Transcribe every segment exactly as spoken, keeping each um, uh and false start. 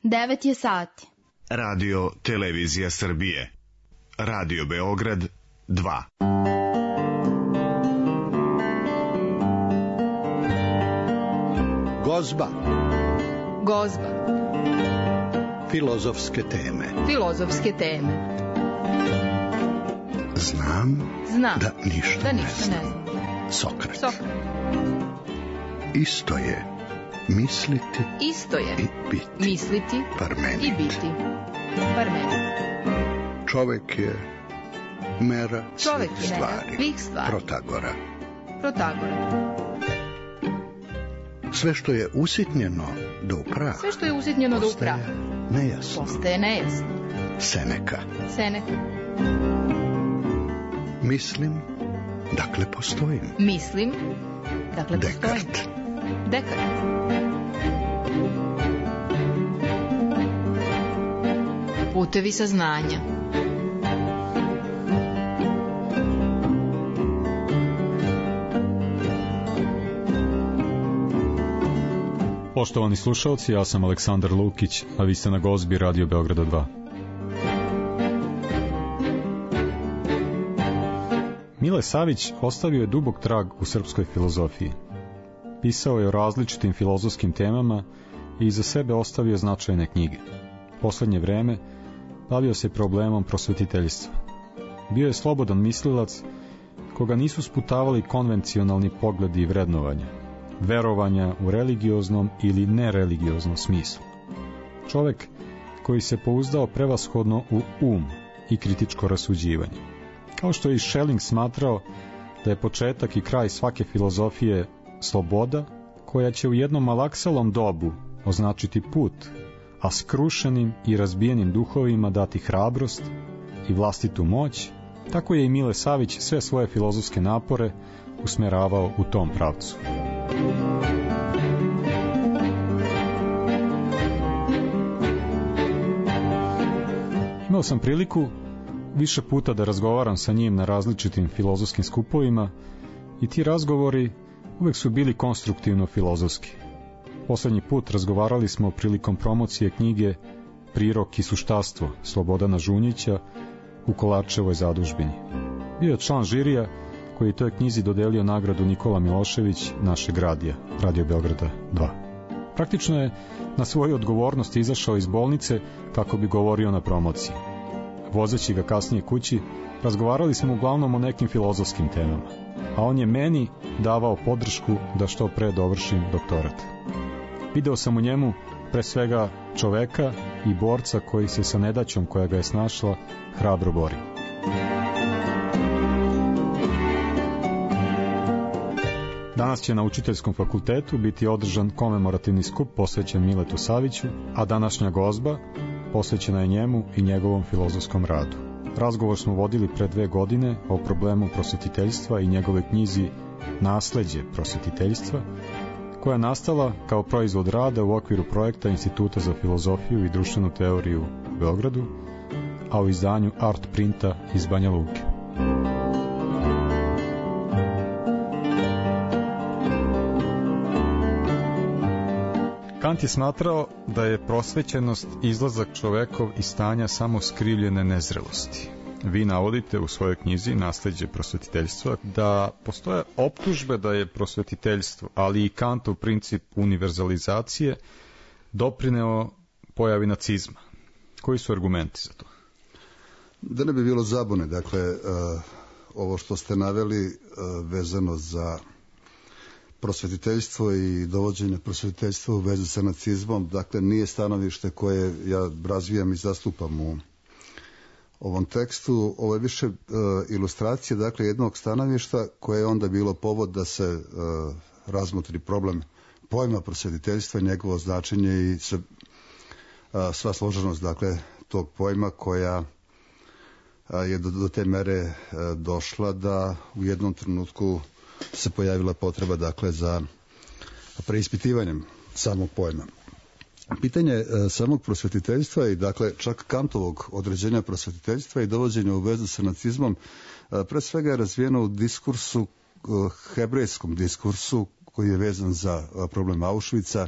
Devet je sati. Radio Televizija Srbije. Radio Beograd dva. Gozba. Gozba. Filozofske teme. Filozofske teme. Znam, Znam da ništa, da ne ništa znam. ne znam. Sokrat. Sokrat. Isto je misliti Isto je i biti. misliti Parmenid. i biti. Parmenid. Čovek je mera Čovek svih je mera stvari. svih stvari. Protagora. Protagora. Sve što je usitnjeno do upraha. Sve što je usitnjeno do postaje upraha nejasno. postaje nejasno. Seneka. Seneca. Mislim, dakle postojim. Mislim, dakle postojim. Dekart. Dekart. Putevi saznanja. Poštovani slušalci, ja sam Aleksandar Lukić, a vi ste na Gozbi Radio Beograda dva. Mile Savić ostavio je dubok trag u srpskoj filozofiji. Pisao je o različitim filozofskim temama i iza sebe ostavio značajne knjige. Poslednje vreme bavio se problemom prosvetiteljstva. Bio je slobodan mislilac koga nisu sputavali konvencionalni pogledi i vrednovanja, verovanja u religioznom ili nereligioznom smislu. Čovek koji se pouzdao prevashodno u um i kritičko rasuđivanje. Kao što je i Schelling smatrao da je početak i kraj svake filozofije sloboda, koja će u jednom malaksalom dobu označiti put, a skrušenim i razbijenim duhovima dati hrabrost i vlastitu moć, tako je i Mile Savić sve svoje filozofske napore usmeravao u tom pravcu. Imao sam priliku više puta da razgovaram sa njim na različitim filozofskim skupovima i ti razgovori uvek su bili konstruktivno filozofski. Poslednji put razgovarali smo prilikom promocije knjige Prirok i suštastvo Slobodana Žunjića u Kolarčevoj zadužbini. Bio je član žirija koji je toj knjizi dodelio nagradu Nikola Milošević našeg radija, Radio Beograda dva. Praktično je na svoju odgovornost izašao iz bolnice kako bi govorio na promociji. Vozeći ga kasnije kući, razgovarali smo uglavnom o nekim filozofskim temama, a on je meni davao podršku da što pre dovršim doktorat. Video sam u njemu pre svega čoveka i borca koji se sa nedaćom koja ga je snašla hrabro bori. Danas će na Učiteljskom fakultetu biti održan komemorativni skup posvećen Miletu Saviću, a današnja gozba posvećena je njemu i njegovom filozofskom radu. Razgovor smo vodili pre dve godine o problemu prosvetiteljstva i njegove knjizi Nasleđe prosvetiteljstva, koja je nastala kao proizvod rada u okviru projekta Instituta za filozofiju i društvenu teoriju u Beogradu, a u izdanju Art Printa iz Banja Luke. Kant je smatrao da je prosvećenost izlazak čovekov iz stanja samo skrivljene nezrelosti. Vi navodite u svojoj knjizi Nasleđe prosvetiteljstva da postoje optužbe da je prosvetiteljstvo, ali i Kantov princip univerzalizacije doprineo pojavi nacizma. Koji su argumenti za to? Da ne bi bilo zabune, dakle, uh, ovo što ste naveli uh, vezano za prosvetiteljstvo i dovođenje prosvetiteljstva u vezi sa nacizmom, dakle, nije stanovište koje ja razvijam i zastupam u ovom tekstu. Ovo je više uh, ilustracija, dakle, jednog stanovišta koje je onda bilo povod da se uh, razmotri problem pojma prosvetiteljstva, njegovo značenje i se, uh, sva složenost, dakle, tog pojma koja uh, je do, do te mere uh, došla da u jednom trenutku se pojavila potreba, dakle, za preispitivanjem samog pojma. Pitanje e, samog prosvetiteljstva i, dakle, čak Kantovog određenja prosvetiteljstva i dovođenja u vezu sa nacizmom e, pre svega je razvijeno u diskursu, e, hebrejskom diskursu koji je vezan za e, problem Auschwitza,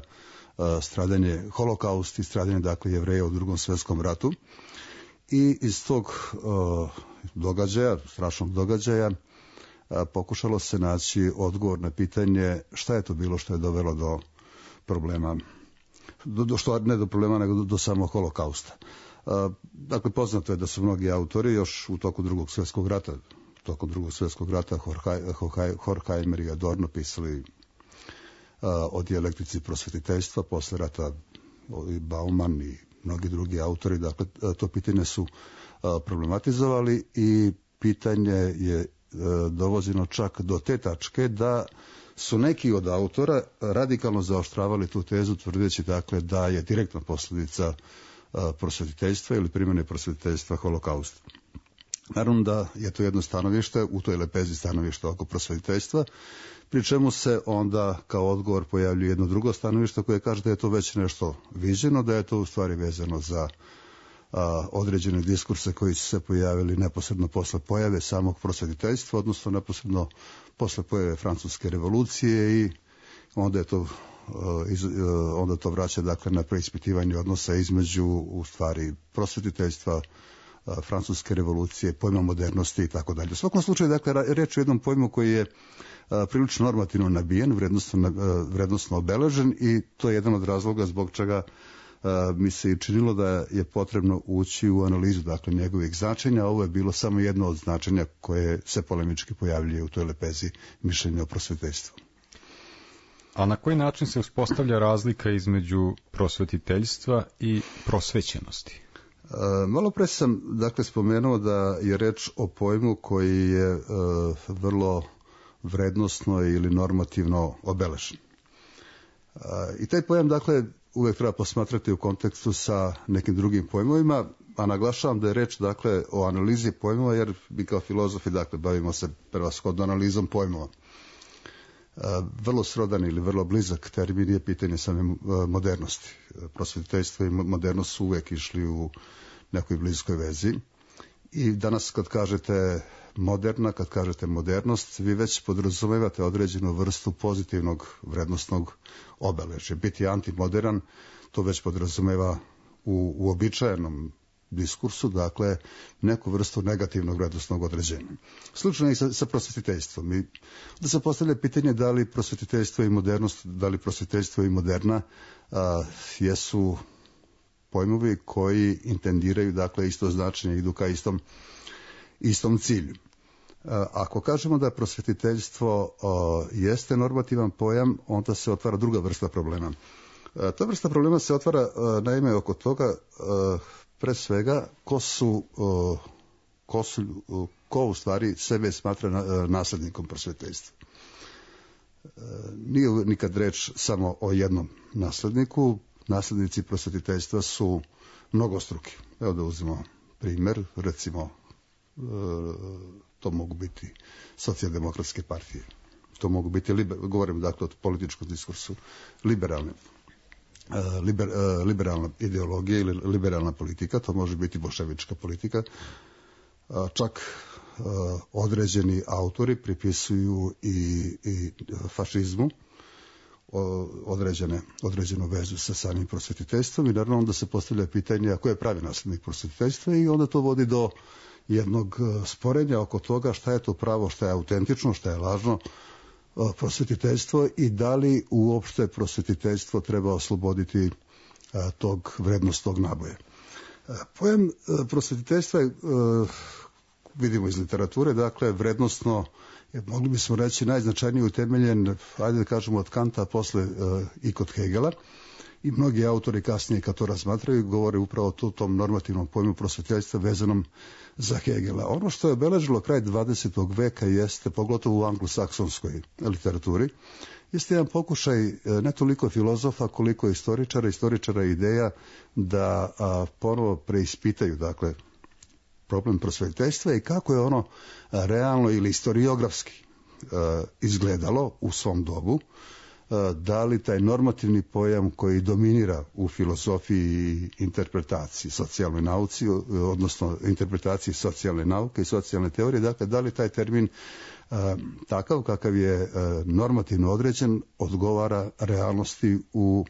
e, stradanje, holokaust i stradanje dakle Jevreja u Drugom svjetskom ratu. I iz tog događaja, strašnog događaja, pokušalo se naći odgovor na pitanje šta je to bilo što je dovelo do problema, do, do što ne do problema, nego do, do samog holokausta. Dakle, poznato je da su mnogi autori još u toku Drugog svjetskog rata, tokom Drugog svjetskog rata, Horkheimer i Adorno pisali o dijalektici prosvetiteljstva, posle rata i Bauman i mnogi drugi autori, dakle, to pitanje su problematizovali i pitanje je dovozino čak do te tačke da su neki od autora radikalno zaoštravali tu tezu, tvrdeći dakle da je direktna posljedica prosvetiteljstva ili primjene prosvetiteljstva holokaust. Naravno da je to jedno stanovište, u toj lepezi stanovišta oko prosvetiteljstva, pri čemu se onda kao odgovor pojavljuje jedno drugo stanovište koje kaže da je to već nešto viđeno, da je to u stvari vezano za a, određene diskurse koji su se pojavili neposredno posle pojave samog prosvetiteljstva, odnosno neposredno posle pojave Francuske revolucije i onda je to Iz, onda to vraća dakle na preispitivanje odnosa između u stvari prosvetiteljstva, Francuske revolucije, pojma modernosti i tako dalje. U svakom slučaju dakle reč je o jednom pojmu koji je a, prilično normativno nabijen, vrednostno, a, vrednostno obeležen i to je jedan od razloga zbog čega a, mi se i činilo da je potrebno ući u analizu dakle njegovih značenja. Ovo je bilo samo jedno od značenja koje se polemički pojavljuje u toj lepezi mišljenja o prosvetiteljstvu. A na koji način se uspostavlja razlika između prosvetiteljstva i prosvećenosti? E, malo pre sam dakle spomenuo da je reč o pojmu koji je e, vrlo vrednosno ili normativno obeležen. E, I taj pojam dakle uvek treba posmatrati u kontekstu sa nekim drugim pojmovima, a naglašavam da je reč dakle o analizi pojmova jer mi kao filozofi dakle bavimo se prevashodno analizom pojmova. Vrlo srodan ili vrlo blizak termin je pitanje same modernosti. Prosvetiteljstvo i modernost su uvek išli u nekoj bliskoj vezi. I danas kad kažete moderna, kad kažete modernost, vi već podrazumevate određenu vrstu pozitivnog vrednostnog obeležja. Biti antimodern, to već podrazumeva u uobičajenom diskursu, dakle, neku vrstu negativnog vrednostnog određenja. Slično je i sa, sa prosvetiteljstvom. I da se postavlja pitanje da li prosvetiteljstvo i modernost, da li prosvetiteljstvo i moderna a, jesu pojmovi koji intendiraju, dakle, isto značenje, idu ka istom, istom cilju. A, ako kažemo da prosvetiteljstvo a, jeste normativan pojam, onda se otvara druga vrsta problema. A, ta vrsta problema se otvara a, naime oko toga a, pre svega, ko su, ko su, ko u stvari sebe smatra naslednikom prosvetiteljstva. Nije nikad reč samo o jednom nasledniku, naslednici prosvetiteljstva su mnogostruki. Evo da uzmemo primjer, recimo, to mogu biti socijaldemokratske partije, to mogu biti, liber, govorim dakle o političkom diskursu, liberalne Liber, liberalna ideologija ili liberalna politika, to može biti bolševička politika. Čak određeni autori pripisuju i, i fašizmu određene, određenu vezu sa samim prosvetiteljstvom i naravno onda se postavlja pitanje ko je pravi naslednik prosvetiteljstva i onda to vodi do jednog sporenja oko toga šta je to pravo, šta je autentično, šta je lažno prosvetiteljstvo i da li uopšte prosvetiteljstvo treba osloboditi a, tog vrednostnog naboja. A, pojam a, prosvetiteljstva je, a, vidimo iz literature, dakle vrednostno, je, mogli bismo reći, najznačajniji utemeljen, ajde da kažemo od Kanta, posle a, i kod Hegela, i mnogi autori kasnije kad to razmatraju govore upravo o tom normativnom pojmu prosvetiteljstva vezanom za Hegela. Ono što je obeležilo kraj dvadesetog veka jeste, pogotovo u anglosaksonskoj literaturi, jeste jedan pokušaj ne toliko filozofa koliko istoričara, istoričara ideja da a, ponovo preispitaju dakle problem prosvetiteljstva i kako je ono a, realno ili historiografski a, izgledalo u svom dobu, da li taj normativni pojam koji dominira u filozofiji i interpretaciji socijalnoj nauci, odnosno interpretaciji socijalne nauke i socijalne teorije, dakle, da li taj termin a, takav kakav je a, normativno određen odgovara realnosti u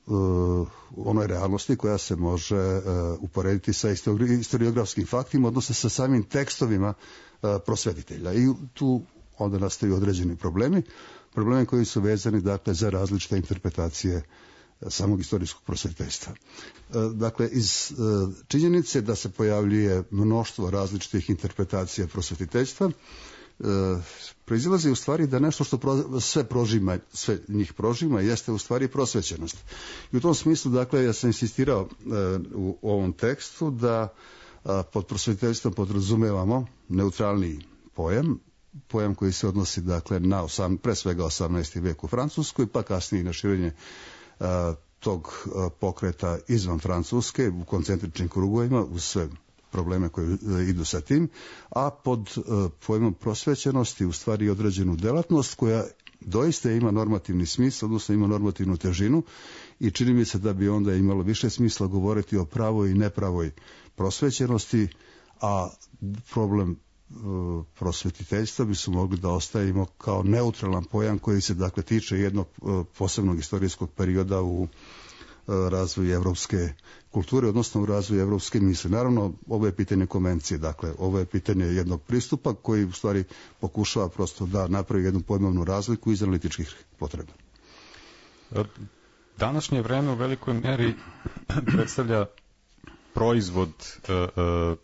uh, onoj realnosti koja se može uh, uporediti sa historiografskim faktima, odnosno sa samim tekstovima uh, prosvetitelja. I tu onda nastaju određeni problemi, problemi koji su vezani dakle za različite interpretacije samog istorijskog prosvetiteljstva. Dakle, iz činjenice da se pojavljuje mnoštvo različitih interpretacija prosvetiteljstva, proizilazi u stvari da nešto što pro, sve prožima, sve njih prožima, jeste u stvari prosvećenost. I u tom smislu, dakle, ja sam insistirao u ovom tekstu da pod prosvetiteljstvom podrazumevamo neutralni pojam, pojam koji se odnosi, dakle, na osam, pre svega osamnaesti vek u Francuskoj, pa kasnije na širenje a, tog a, pokreta izvan Francuske u koncentričnim krugovima uz sve probleme koji a, idu sa tim, a pod a, pojmom prosvećenosti u stvari određenu delatnost koja doista ima normativni smisao, odnosno ima normativnu težinu i čini mi se da bi onda imalo više smisla govoriti o pravoj i nepravoj prosvećenosti, a problem prosvetiteljstva bi su mogli da ostavimo kao neutralan pojam koji se dakle tiče jednog posebnog istorijskog perioda u razvoju evropske kulture, odnosno u razvoju evropske misli. Naravno, ovo je pitanje konvencije, dakle, ovo je pitanje jednog pristupa koji u stvari pokušava prosto da napravi jednu pojmovnu razliku iz analitičkih potreba. Današnje vreme u velikoj meri predstavlja proizvod uh, uh,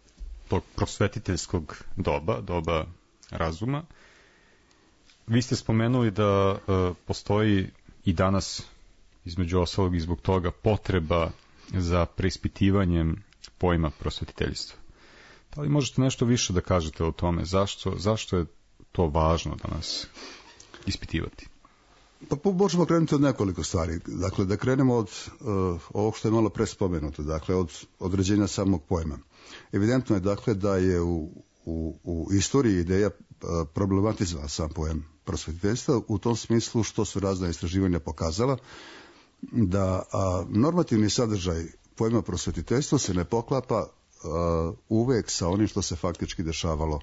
tog prosvetiteljskog doba, doba razuma. Vi ste spomenuli da uh, postoji i danas, između ostalog i zbog toga, potreba za preispitivanjem pojma prosvetiteljstva. Da li možete nešto više da kažete o tome? Zašto, zašto je to važno danas ispitivati? Pa možemo krenuti od nekoliko stvari. Dakle, da krenemo od uh, ovog što je malo pre spomenuto, dakle, od određenja samog pojma. Evidentno je, dakle, da je u, u, u istoriji ideja uh, problematizovala sam pojam prosvetiteljstva u tom smislu što su razna istraživanja pokazala da a, normativni sadržaj pojma prosvetiteljstva se ne poklapa a, uvek sa onim što se faktički dešavalo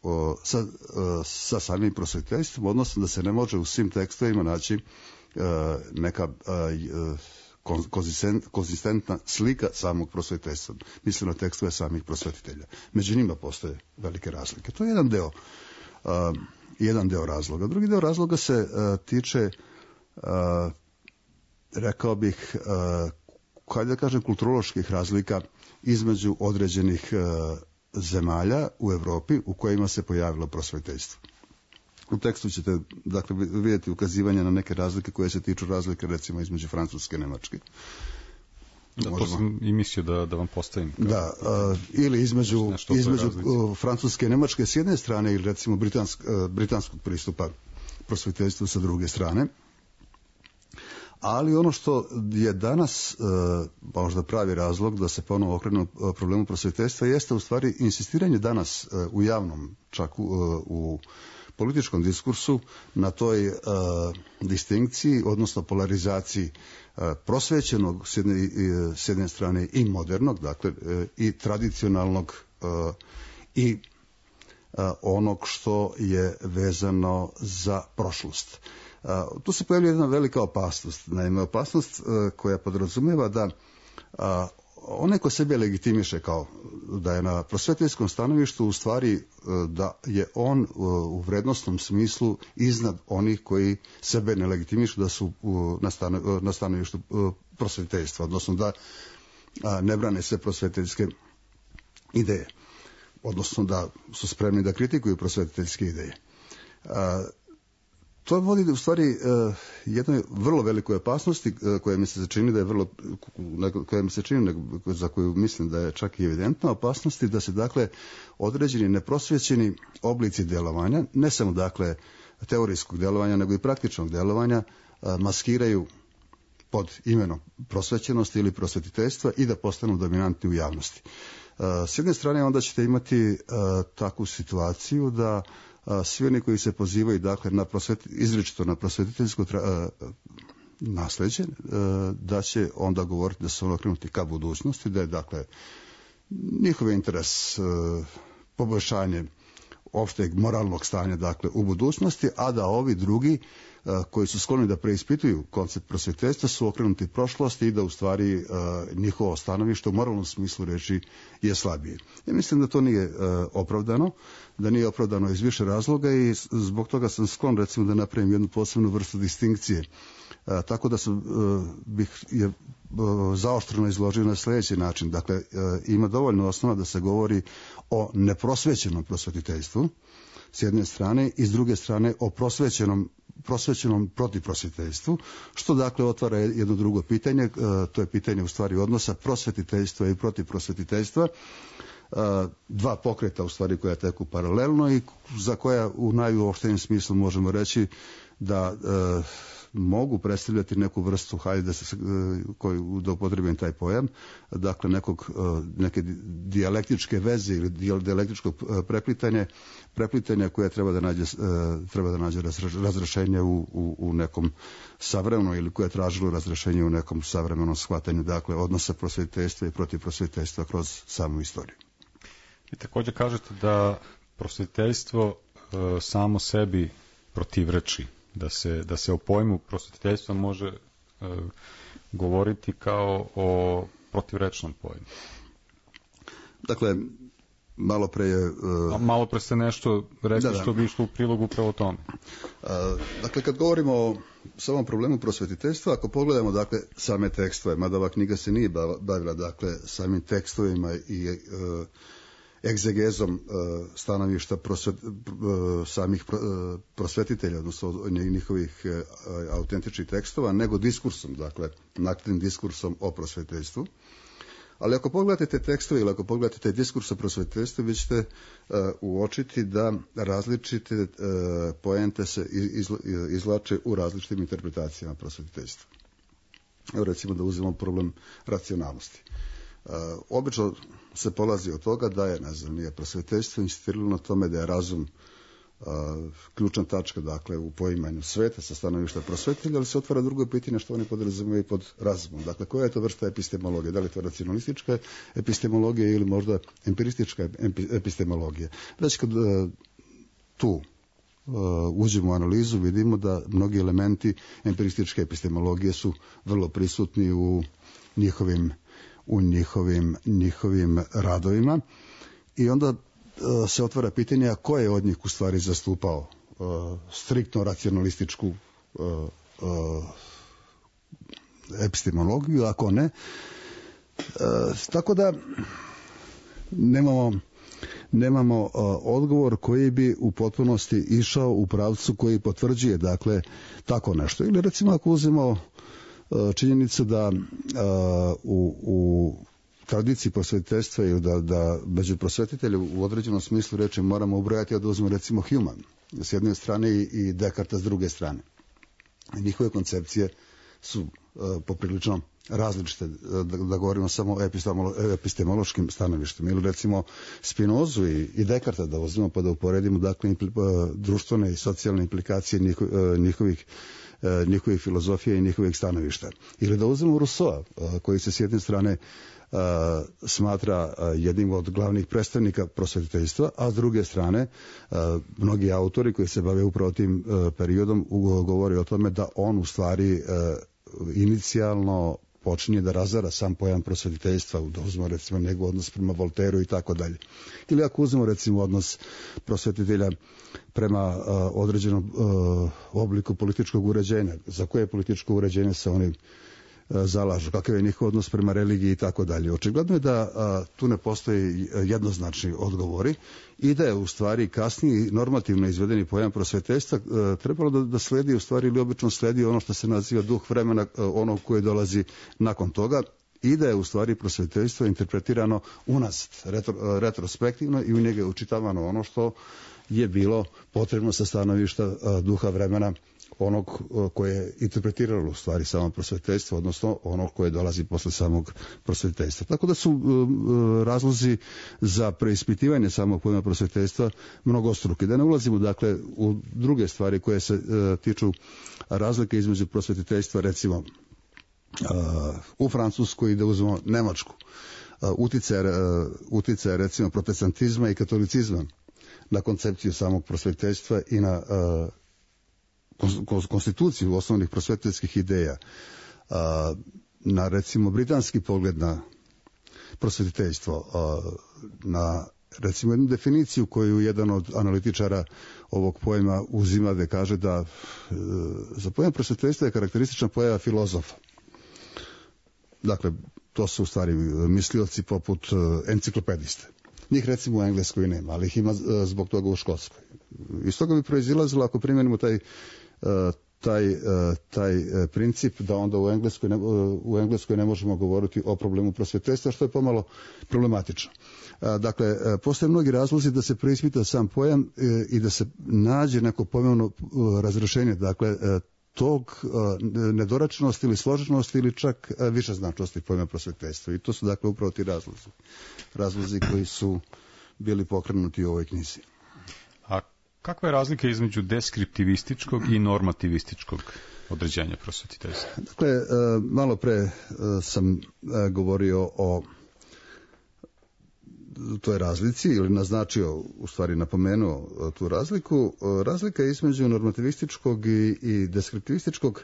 a, sa, a, sa samim prosvetiteljstvom, odnosno da se ne može u svim tekstovima naći a, neka a, a, konzistent, konzistentna slika samog prosvetiteljstva. Mislim na tekstove samih prosvetitelja. Među njima postoje velike razlike. To je jedan deo, a, jedan deo razloga. Drugi deo razloga se a, tiče a, rekao bih, kada da kažem, kulturoloških razlika između određenih zemalja u Evropi u kojima se pojavilo prosvetiteljstvo. U tekstu ćete, dakle, vidjeti ukazivanje na neke razlike koje se tiču razlike, recimo, između Francuske i Nemačke. Da, to sam i mislio da, da vam postavim. Kao, da, a, ili između, između Francuske i Nemačke s jedne strane ili, recimo, britansk, britanskog pristupa prosvetiteljstvu sa druge strane. Ali ono što je danas e, možda pravi razlog da se ponovo okrenu problemu prosvetiteljstva jeste u stvari insistiranje danas e, u javnom, čak u, u političkom diskursu na toj e, distinkciji, odnosno polarizaciji e, prosvećenog s jedne, e, s jedne strane i modernog, dakle e, i tradicionalnog e, i e, onog što je vezano za prošlost. Uh, tu se pojavlja jedna velika opasnost. Naime, opasnost uh, koja podrazumijeva da uh, onaj ko sebe legitimiše kao da je na prosvetiteljskom stanovištu u stvari uh, da je on uh, u vrednostnom smislu iznad onih koji sebe ne legitimišu da su uh, na, stano, uh, na stanovištu uh, prosvetiteljstva, odnosno da uh, ne brane sve prosvetiteljske ideje, odnosno da su spremni da kritikuju prosvetiteljske ideje. Uh, To vodi u stvari uh, jednoj vrlo velikoj opasnosti uh, koja mi se čini da je vrlo, koja mi se čini za koju mislim da je čak i evidentna opasnosti da se dakle određeni neprosvećeni oblici djelovanja, ne samo dakle teorijskog djelovanja nego i praktičnog djelovanja uh, maskiraju pod imenom prosvećenosti ili prosvetiteljstva i da postanu dominantni u javnosti. Uh, s jedne strane onda ćete imati uh, takvu situaciju da svi oni koji se pozivaju, dakle, na prosvet, izričito na prosvetiteljsko tra, nasleđe, da će onda govoriti da su ono okrenuti ka budućnosti, da je, dakle, njihov interes poboljšanje opšteg moralnog stanja, dakle, u budućnosti, a da ovi drugi koji su skloni da preispituju koncept prosvjetiteljstva su okrenuti prošlosti i da u stvari njihovo stanovište u moralnom smislu reči je slabije. Ja mislim da to nije opravdano, da nije opravdano iz više razloga i zbog toga sam sklon recimo da napravim jednu posebnu vrstu distinkcije. Tako da sam, bih je zaoštreno izložio na sljedeći način. Dakle, ima dovoljno osnova da se govori o neprosvećenom prosvetiteljstvu s jedne strane i s druge strane o prosvećenom prosvećenom protivprosvetiteljstvu, što dakle otvara jedno drugo pitanje, to je pitanje u stvari odnosa prosvetiteljstva i protivprosvetiteljstva, dva pokreta u stvari koja teku paralelno i za koja u najuopštijem smislu možemo reći da e, mogu predstavljati neku vrstu, hajde da se koju da upotrebim taj pojam, dakle nekog neke dijalektičke veze ili dijalektičkog preplitanja, preplitanja koje treba da nađe treba da nađe razrešenje u, u, u nekom savremenom ili koje je tražilo razrešenje u nekom savremenom shvatanju, dakle odnosa prosvetiteljstva i protivprosvetiteljstva kroz samu istoriju. I također kažete da prosvetiteljstvo e, samo sebi protivreči, da se, da se o pojmu prosvetiteljstva može e, govoriti kao o protivrečnom pojmu. Dakle, malo pre je... Uh, A malo pre ste nešto rekli da, da. što bi išlo u prilogu upravo tome. Uh, dakle, kad govorimo o samom problemu prosvetiteljstva, ako pogledamo dakle same tekstove, mada ova knjiga se nije bavila dakle samim tekstovima i uh, egzegezom uh, stanovišta prosvet, uh, samih pro, uh, prosvetitelja, odnosno njihovih uh, autentičnih tekstova, nego diskursom, dakle nakladnim diskursom o prosvetiteljstvu. Ali ako pogledate te tekstove ili ako pogledate te diskurs o prosvetiteljstvu, vi ćete uh, uočiti da različite uh, poente se iz, izlače u različitim interpretacijama prosvetiteljstva. Evo recimo da uzmemo problem racionalnosti. Uh, obično se polazi od toga da je, ne znam, nije prosvetiteljstvo insistiralo na tome da je razum uh, ključna tačka, dakle, u poimanju sveta sa stanovišta prosvetitelja, ali se otvara drugo pitanje što oni podrazumijevaju pod razumom. Dakle, koja je to vrsta epistemologije? Da li je to racionalistička epistemologija ili možda empiristička epistemologija? Već kad uh, tu uh, uđemo u analizu, vidimo da mnogi elementi empirističke epistemologije su vrlo prisutni u njihovim u njihovim, njihovim radovima i onda uh, se otvara pitanje ko je od njih u stvari zastupao uh, striktno racionalističku uh, uh, epistemologiju, ako ne. Uh, tako da nemamo, nemamo uh, odgovor koji bi u potpunosti išao u pravcu koji potvrđuje dakle tako nešto. Ili recimo ako uzmemo činjenica da uh, u, u tradiciji prosvetiteljstva ili da, da među prosvetitelju u određenom smislu reči moramo ubrojati, da uzmemo recimo Human s jedne strane i, i Descartes s druge strane. Njihove koncepcije su uh, poprilično različite, da, da govorimo samo o epistemolo, epistemološkim stanovištima. Ili recimo Spinozu i, i Descartesa da uzmemo pa da uporedimo dakle impli, uh, društvene i socijalne implikacije njiho, uh, njihovih njihovih filozofija i njihovih stanovišta. Ili da uzmemo Rousseau, koji se s jedne strane uh, smatra uh, jednim od glavnih predstavnika prosvetiteljstva, a s druge strane uh, mnogi autori koji se bave upravo tim uh, periodom govore o tome da on u stvari uh, inicijalno počinje da razara sam pojam prosvetiteljstva, da uzmemo recimo njegov odnos prema Voltairu i tako dalje. Ili ako uzmemo recimo odnos prosvetitelja prema uh, određenom uh, obliku političkog uređenja, za koje političko uređenje se oni uh, zalažu, kakav je njihov odnos prema religiji i tako dalje. Očigledno je da uh, tu ne postoji jednoznačni odgovori i da je u stvari kasniji normativno izvedeni pojam prosvetiteljstva uh, trebalo da, da sledi u stvari ili obično sledi ono što se naziva duh vremena, uh, ono koje dolazi nakon toga, i da je u stvari prosvetiteljstvo interpretirano unazad, retro, uh, retrospektivno i u njega je učitavano ono što je bilo potrebno sa stanovišta uh, duha vremena onog uh, koje je interpretiralo u stvari samo prosvetiteljstvo, odnosno onog koje dolazi posle samog prosvetiteljstva. Tako da su uh, uh, razlozi za preispitivanje samog pojma prosvetiteljstva mnogostruki. Da ne ulazimo dakle u druge stvari koje se uh, tiču razlike između prosvetiteljstva recimo uh, u Francuskoj i da uzmemo Nemačku. Uh, uticaje, uh, uticaje recimo protestantizma i katolicizma na koncepciju samog prosvetiteljstva i na uh, konstituciju osnovnih prosvetiteljskih ideja, na recimo britanski pogled na prosvetiteljstvo, na recimo jednu definiciju koju jedan od analitičara ovog pojma uzima, da kaže da za pojam prosvetiteljstva je karakteristična pojava filozofa. Dakle, to su u stvari mislioci poput enciklopediste. Njih recimo u Engleskoj nema, ali ih ima zbog toga u Škotskoj. Iz toga bi proizilazilo, ako primjenimo taj, taj, taj princip, da onda u Engleskoj, ne, u Engleskoj ne možemo govoriti o problemu prosvetiteljstva, što je pomalo problematično. Dakle, postoje mnogi razlozi da se preispita sam pojam i da se nađe neko pojmovno razrešenje, dakle, tog nedoračenosti ili složenosti ili čak više značnosti pojma prosvetiteljstva. I to su dakle upravo ti razlozi. Razlozi koji su bili pokrenuti u ovoj knjizi. A kakva je razlika između deskriptivističkog i normativističkog određenja prosvetiteljstva? Dakle, malo pre sam govorio o toj razlici, ili naznačio, u stvari napomenuo tu razliku. Razlika između normativističkog i, i deskriptivističkog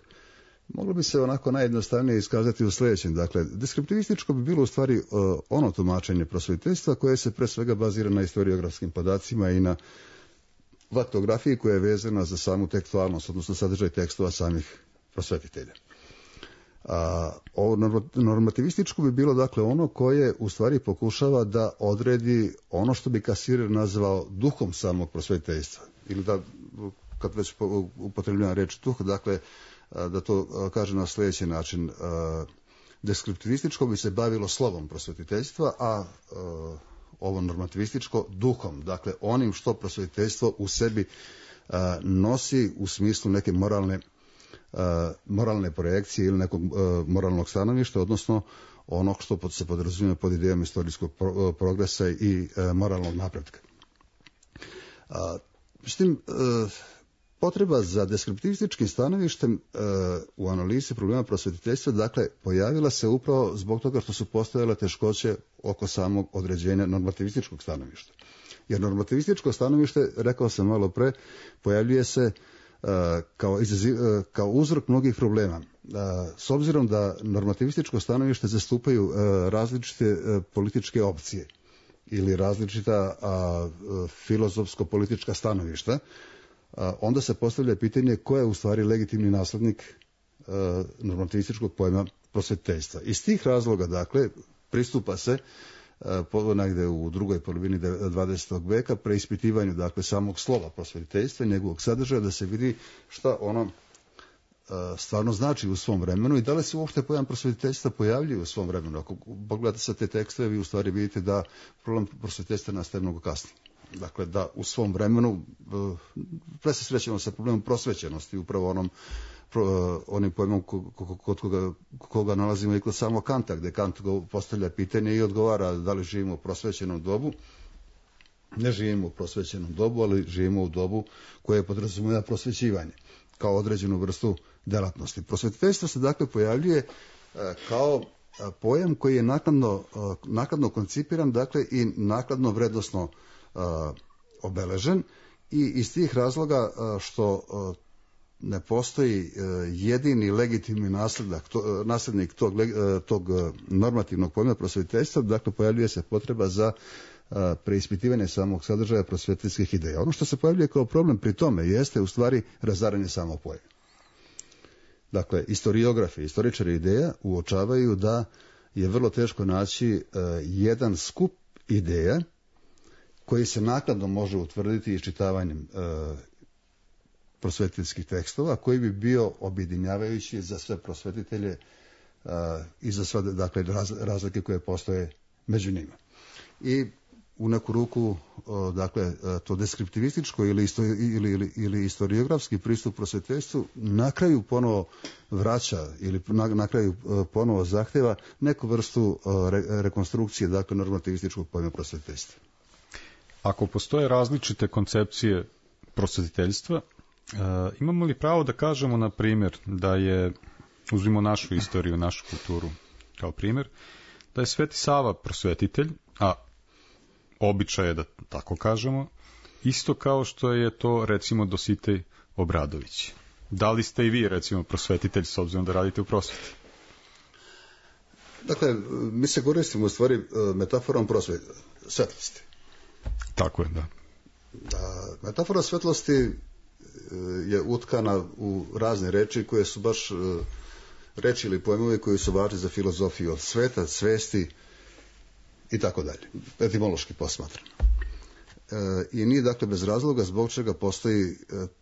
moglo bi se onako najjednostavnije iskazati u sljedećem. Dakle, deskriptivističko bi bilo u stvari ono tumačenje prosvetiteljstva koje se pre svega bazira na historiografskim podacima i na faktografiji koja je vezana za samu tekstualnost, odnosno sadržaj tekstova samih prosvetitelja. A, ovo normativističko bi bilo dakle ono koje u stvari pokušava da odredi ono što bi Kasirer nazvao duhom samog prosvetiteljstva, ili da, kad već upotrebljavam reč duh, dakle da to kaže na sljedeći način. Deskriptivističko bi se bavilo slovom prosvetiteljstva, a ovo normativističko duhom, dakle onim što prosvetiteljstvo u sebi nosi u smislu neke moralne Uh, moralne projekcije ili nekog uh, moralnog stanovišta, odnosno onog što se podrazumijeva pod idejom istorijskog pro, uh, progresa i uh, moralnog napretka. Uh, s tim, uh, potreba za deskriptivističkim stanovištem uh, u analizi problema prosvetiteljstva, dakle, pojavila se upravo zbog toga što su postojale teškoće oko samog određenja normativističkog stanovišta. Jer normativističko stanovište, rekao sam malo pre, pojavljuje se Kao, izaziv, kao uzrok mnogih problema. S obzirom da normativističko stanovište zastupaju različite političke opcije ili različita filozofsko-politička stanovišta, onda se postavlja pitanje ko je u stvari legitimni naslednik normativističkog pojma prosvetiteljstva. Iz tih razloga, dakle, pristupa se negde u drugoj polovini dvadesetog veka preispitivanju, dakle, samog slova prosvetiteljstva i njegovog sadržaja, da se vidi šta ono stvarno znači u svom vremenu i da li se uopšte pojam prosvetiteljstva pojavljuje u svom vremenu. Ako pogledate sa te tekstove, vi u stvari vidite da problem prosvetiteljstva nastaje mnogo kasnije. Dakle, da u svom vremenu pre se srećemo sa problemom prosvećenosti, upravo onom onim pojmom kod koga, koga nalazimo i kod samog Kanta, gde Kant postavlja pitanje i odgovara da li živimo u prosvećenom dobu. Ne živimo u prosvećenom dobu, ali živimo u dobu koje podrazumijeva prosvećivanje kao određenu vrstu delatnosti. Prosvetiteljstvo se dakle pojavljuje kao pojam koji je nakladno, nakladno koncipiran, dakle i nakladno vrednosno obeležen, i iz tih razloga što ne postoji jedini legitimni nasledak, to, naslednik tog, tog normativnog pojma prosvetiteljstva, dakle pojavljuje se potreba za preispitivanje samog sadržaja prosvetiteljskih ideja. Ono što se pojavljuje kao problem pri tome jeste u stvari razaranje samog pojma. Dakle, istoriografi, istoričari ideja uočavaju da je vrlo teško naći jedan skup ideja koji se naknadno može utvrditi iščitavanjem prosvetiteljskih tekstova, koji bi bio objedinjavajući za sve prosvetitelje uh, i za sve, dakle, raz, razlike koje postoje među njima. I u neku ruku, uh, dakle, uh, to deskriptivističko ili, isto, ili, ili, ili historiografski pristup prosvetiteljstvu na kraju ponovo vraća ili na, na kraju uh, ponovo zahteva neku vrstu uh, re, rekonstrukcije, dakle, normativističkog pojma prosvetiteljstva. Ako postoje različite koncepcije prosvetiteljstva, Uh, imamo li pravo da kažemo, na primjer, da je, uzmimo našu istoriju, našu kulturu kao primjer, da je Sveti Sava prosvetitelj, a običaj je da tako kažemo, isto kao što je to, recimo, Dositej Obradović? Da li ste i vi, recimo, prosvetitelj s obzirom da radite u prosveti? Dakle, mi se koristimo u stvari metaforom prosvete, svetlosti. Tako je, da. Da, metafora svetlosti je utkana u razne reči koje su baš reči ili pojmovi koji su važni za filozofiju od sveta, svesti i tako dalje, etimološki posmatrano. E, I nije dakle bez razloga zbog čega postoji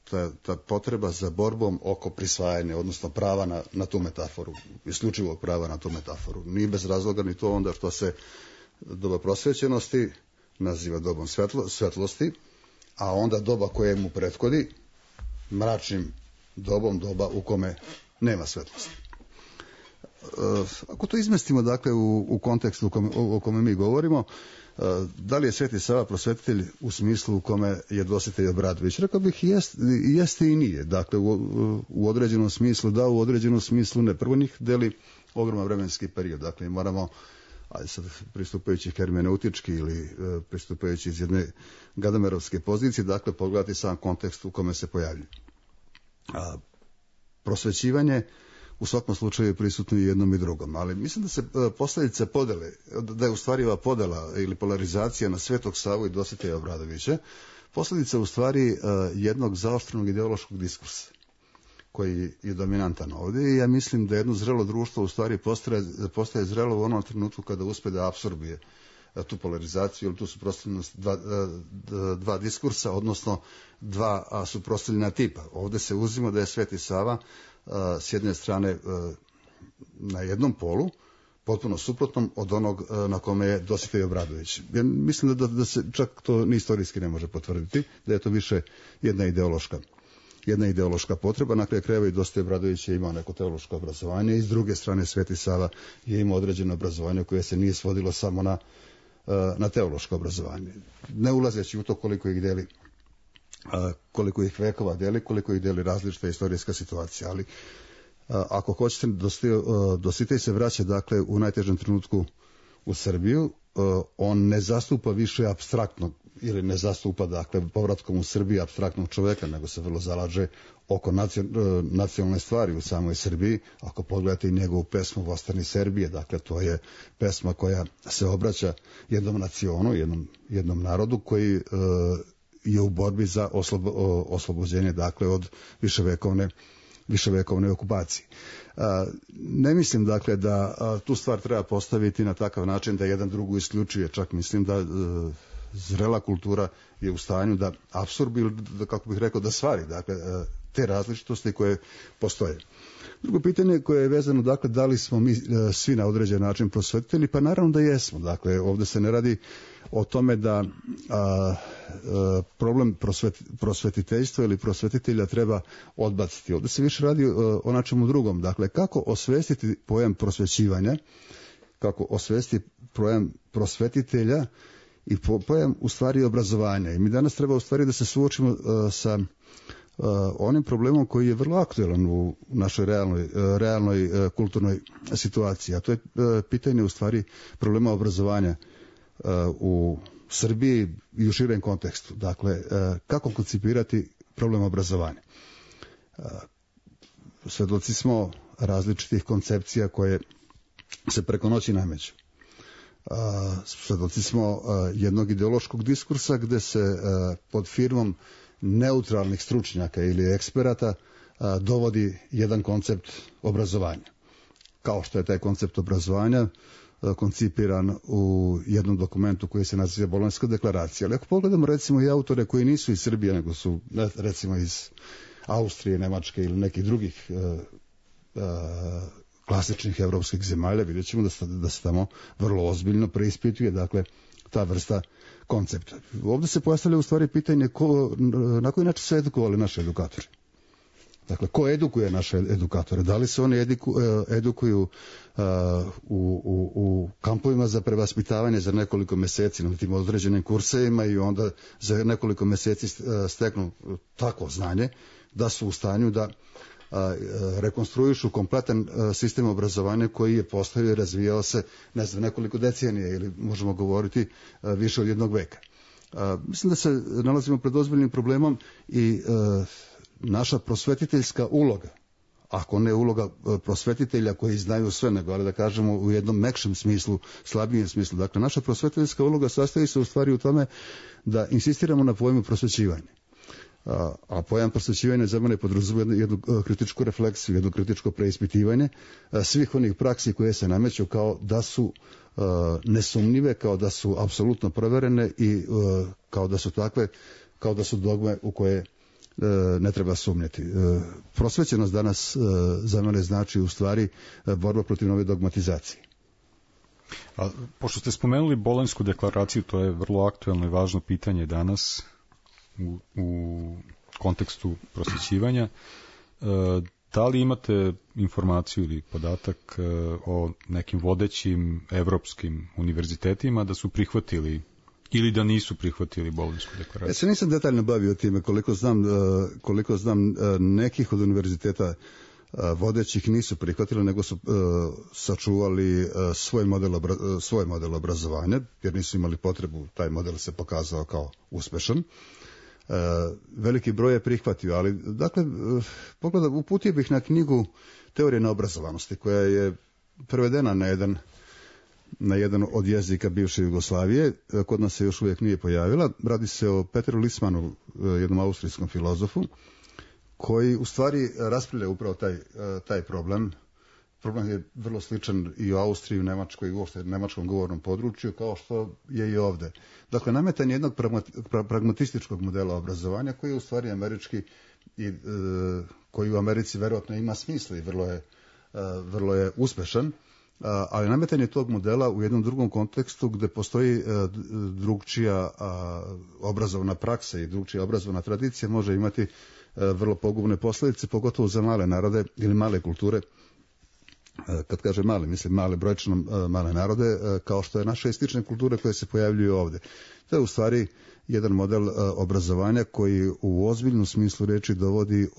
ta, ta potreba za borbom oko prisvajanja, odnosno prava na, na tu metaforu, isključivog prava na tu metaforu. Nije bez razloga ni to onda što se doba prosvećenosti naziva dobom svetlo, svetlosti, a onda doba koje mu prethodi mračnim dobom, doba u kome nema svetlosti. E, ako to izmestimo dakle u, u kontekstu u kome, o kome mi govorimo, e, da li je Sveti Sava prosvetitelj u smislu u kome je Dositej Obradović? Rekao bih jest, jeste i nije. Dakle, u, u određenom smislu da, u određenom smislu ne. Prvo njih deli ogroman vremenski period. Dakle, moramo, ajde sad pristupajući hermeneutički ili e, pristupajući iz jedne gadamerovske pozicije, dakle, pogledati sam kontekst u kome se pojavljuje. A, prosvećivanje u svakom slučaju je prisutno i jednom i drugom, ali mislim da se posljedice podele, da je u stvari ova podela ili polarizacija na Svetog Savu i Dositeja Obradovića posljedica u stvari jednog zaoštrenog ideološkog diskursa koji je dominantan ovdje i ja mislim da jedno zrelo društvo u stvari postaje, postaje zrelo u onom trenutku kada uspe da apsorbije tu polarizaciju ili tu suprotstavljenost dva, dva diskursa, odnosno dva suprotstavljena tipa. Ovdje se uzima da je Sveti Sava s jedne strane na jednom polu, potpuno suprotnom od onog na kome je Dositej Obradović. Ja mislim da, da se čak to ni istorijski ne može potvrditi, da je to više jedna ideološka jedna ideološka potreba. Na kraju krajeva i Dositej Obradović je imao neko teološko obrazovanje i s druge strane Sveti Sava je imao određeno obrazovanje koje se nije svodilo samo na, na teološko obrazovanje. Ne ulazeći u to koliko ih deli koliko ih vekova deli, koliko ih deli različita istorijska situacija, ali ako hoćete, Dositej se vraća dakle u najtežem trenutku u Srbiju, on ne zastupa više apstraktnog ili ne zastupa dakle povratkom u Srbiju apstraktnog čoveka, nego se vrlo zalaže oko nacionalne stvari u samoj Srbiji. Ako pogledate i njegovu pesmu Vostani Serbije, dakle to je pesma koja se obraća jednom nacionu, jednom, jednom narodu koji uh, je u borbi za oslobo, oslobođenje dakle od viševekovne viševekovne okupacije. A, ne mislim dakle da a, tu stvar treba postaviti na takav način da jedan drugu isključuje, čak mislim da a, zrela kultura je u stanju da apsorbi ili da, kako bih rekao, da stvari dakle a, te različitosti koje postoje. Drugo pitanje koje je vezano, dakle, da li smo mi a, svi na određen način prosvetitelji, pa naravno da jesmo. Dakle, ovdje se ne radi o tome da a, a, problem prosvet, prosvetiteljstva ili prosvetitelja treba odbaciti. Ovdje se više radi a, o načemu drugom. Dakle, kako osvestiti pojam prosvećivanja, kako osvestiti pojam prosvetitelja i pojam u stvari obrazovanja. I mi danas treba u stvari da se suočimo a, sa Uh, onim problemom koji je vrlo aktualan u našoj realnoj, uh, realnoj uh, kulturnoj situaciji, a to je uh, pitanje u stvari problema obrazovanja uh, u Srbiji i u širem kontekstu. Dakle, uh, kako koncipirati problem obrazovanja? Uh, Svedoci smo različitih koncepcija koje se preko noći nameću. Uh, svedoci smo uh, jednog ideološkog diskursa gde se uh, pod firmom neutralnih stručnjaka ili eksperata a, dovodi jedan koncept obrazovanja. Kao što je taj koncept obrazovanja a, koncipiran u jednom dokumentu koji se naziva Bolonjska deklaracija. Ali ako pogledamo recimo i autore koji nisu iz Srbije, nego su recimo iz Austrije, Nemačke ili nekih drugih a, a, klasičnih evropskih zemalja, vidjet ćemo da se, da se tamo vrlo ozbiljno preispituje, dakle, ta vrsta koncepta. Ovdje se postavlja u stvari pitanje ko, na koji način se edukovali naši edukatori. Dakle, ko edukuje naše edukatore? Da li se oni ediku, edukuju uh, u, u, u kampovima za prevaspitavanje za nekoliko mjeseci na tim određenim kursevima i onda za nekoliko mjeseci steknu tako znanje da su u stanju da a, rekonstruišu kompletan a, sistem obrazovanja koji je postavio i razvijao se ne znam, nekoliko decenija ili možemo govoriti a, više od jednog veka. A, mislim da se nalazimo pred ozbiljnim problemom i a, naša prosvetiteljska uloga, ako ne uloga prosvetitelja koji znaju sve, nego, ali da kažemo u jednom mekšem smislu, slabijem smislu. Dakle, naša prosvetiteljska uloga sastoji se u stvari u tome da insistiramo na pojmu prosvećivanja. A, a pojam prosvećivanja za mene podrazumeva jednu, jednu kritičku refleksiju, jedno kritičko preispitivanje a, svih onih praksi koje se nameću kao da su a, nesumnjive, kao da su apsolutno proverene i a, kao da su takve, kao da su dogme u koje ne treba sumnjati. Prosvećenost danas za mene znači u stvari borba protiv nove dogmatizacije. A, pošto ste spomenuli Bolonjsku deklaraciju, to je vrlo aktuelno i važno pitanje danas u, u kontekstu prosvećivanja. Da li imate informaciju ili podatak o nekim vodećim evropskim univerzitetima da su prihvatili ili da nisu prihvatili Bolonjsku deklaraciju? Ja se nisam detaljno bavio time, koliko znam, koliko znam nekih od univerziteta vodećih nisu prihvatili, nego su sačuvali svoj model, svoj model obrazovanja, jer nisu imali potrebu, taj model se pokazao kao uspešan. Veliki broj je prihvatio, ali dakle, pogleda, uputio bih na knjigu Teorije neobrazovanosti, koja je prevedena na jedan na jedan od jezika bivše Jugoslavije, kod nas se još uvijek nije pojavila. Radi se o Petru Lismanu, jednom austrijskom filozofu, koji u stvari raspravlja upravo taj, taj problem. Problem je vrlo sličan i u Austriji, u Nemačkoj i uopšte nemačkom govornom području, kao što je i ovde. Dakle, nametanje jednog pragmatističkog modela obrazovanja, koji je u stvari američki i e, koji u Americi verovatno ima smisla i vrlo je, e, vrlo je uspešan, ali nametanje tog modela u jednom drugom kontekstu gde postoji drugčija obrazovna praksa i drugčija obrazovna tradicija može imati vrlo pogubne posljedice, pogotovo za male narode ili male kulture. Kad kaže male, mislim male brojčno male narode, kao što je naše istične kulture koje se pojavljuju ovde. To je u stvari jedan model obrazovanja koji u ozbiljnom smislu reči dovodi,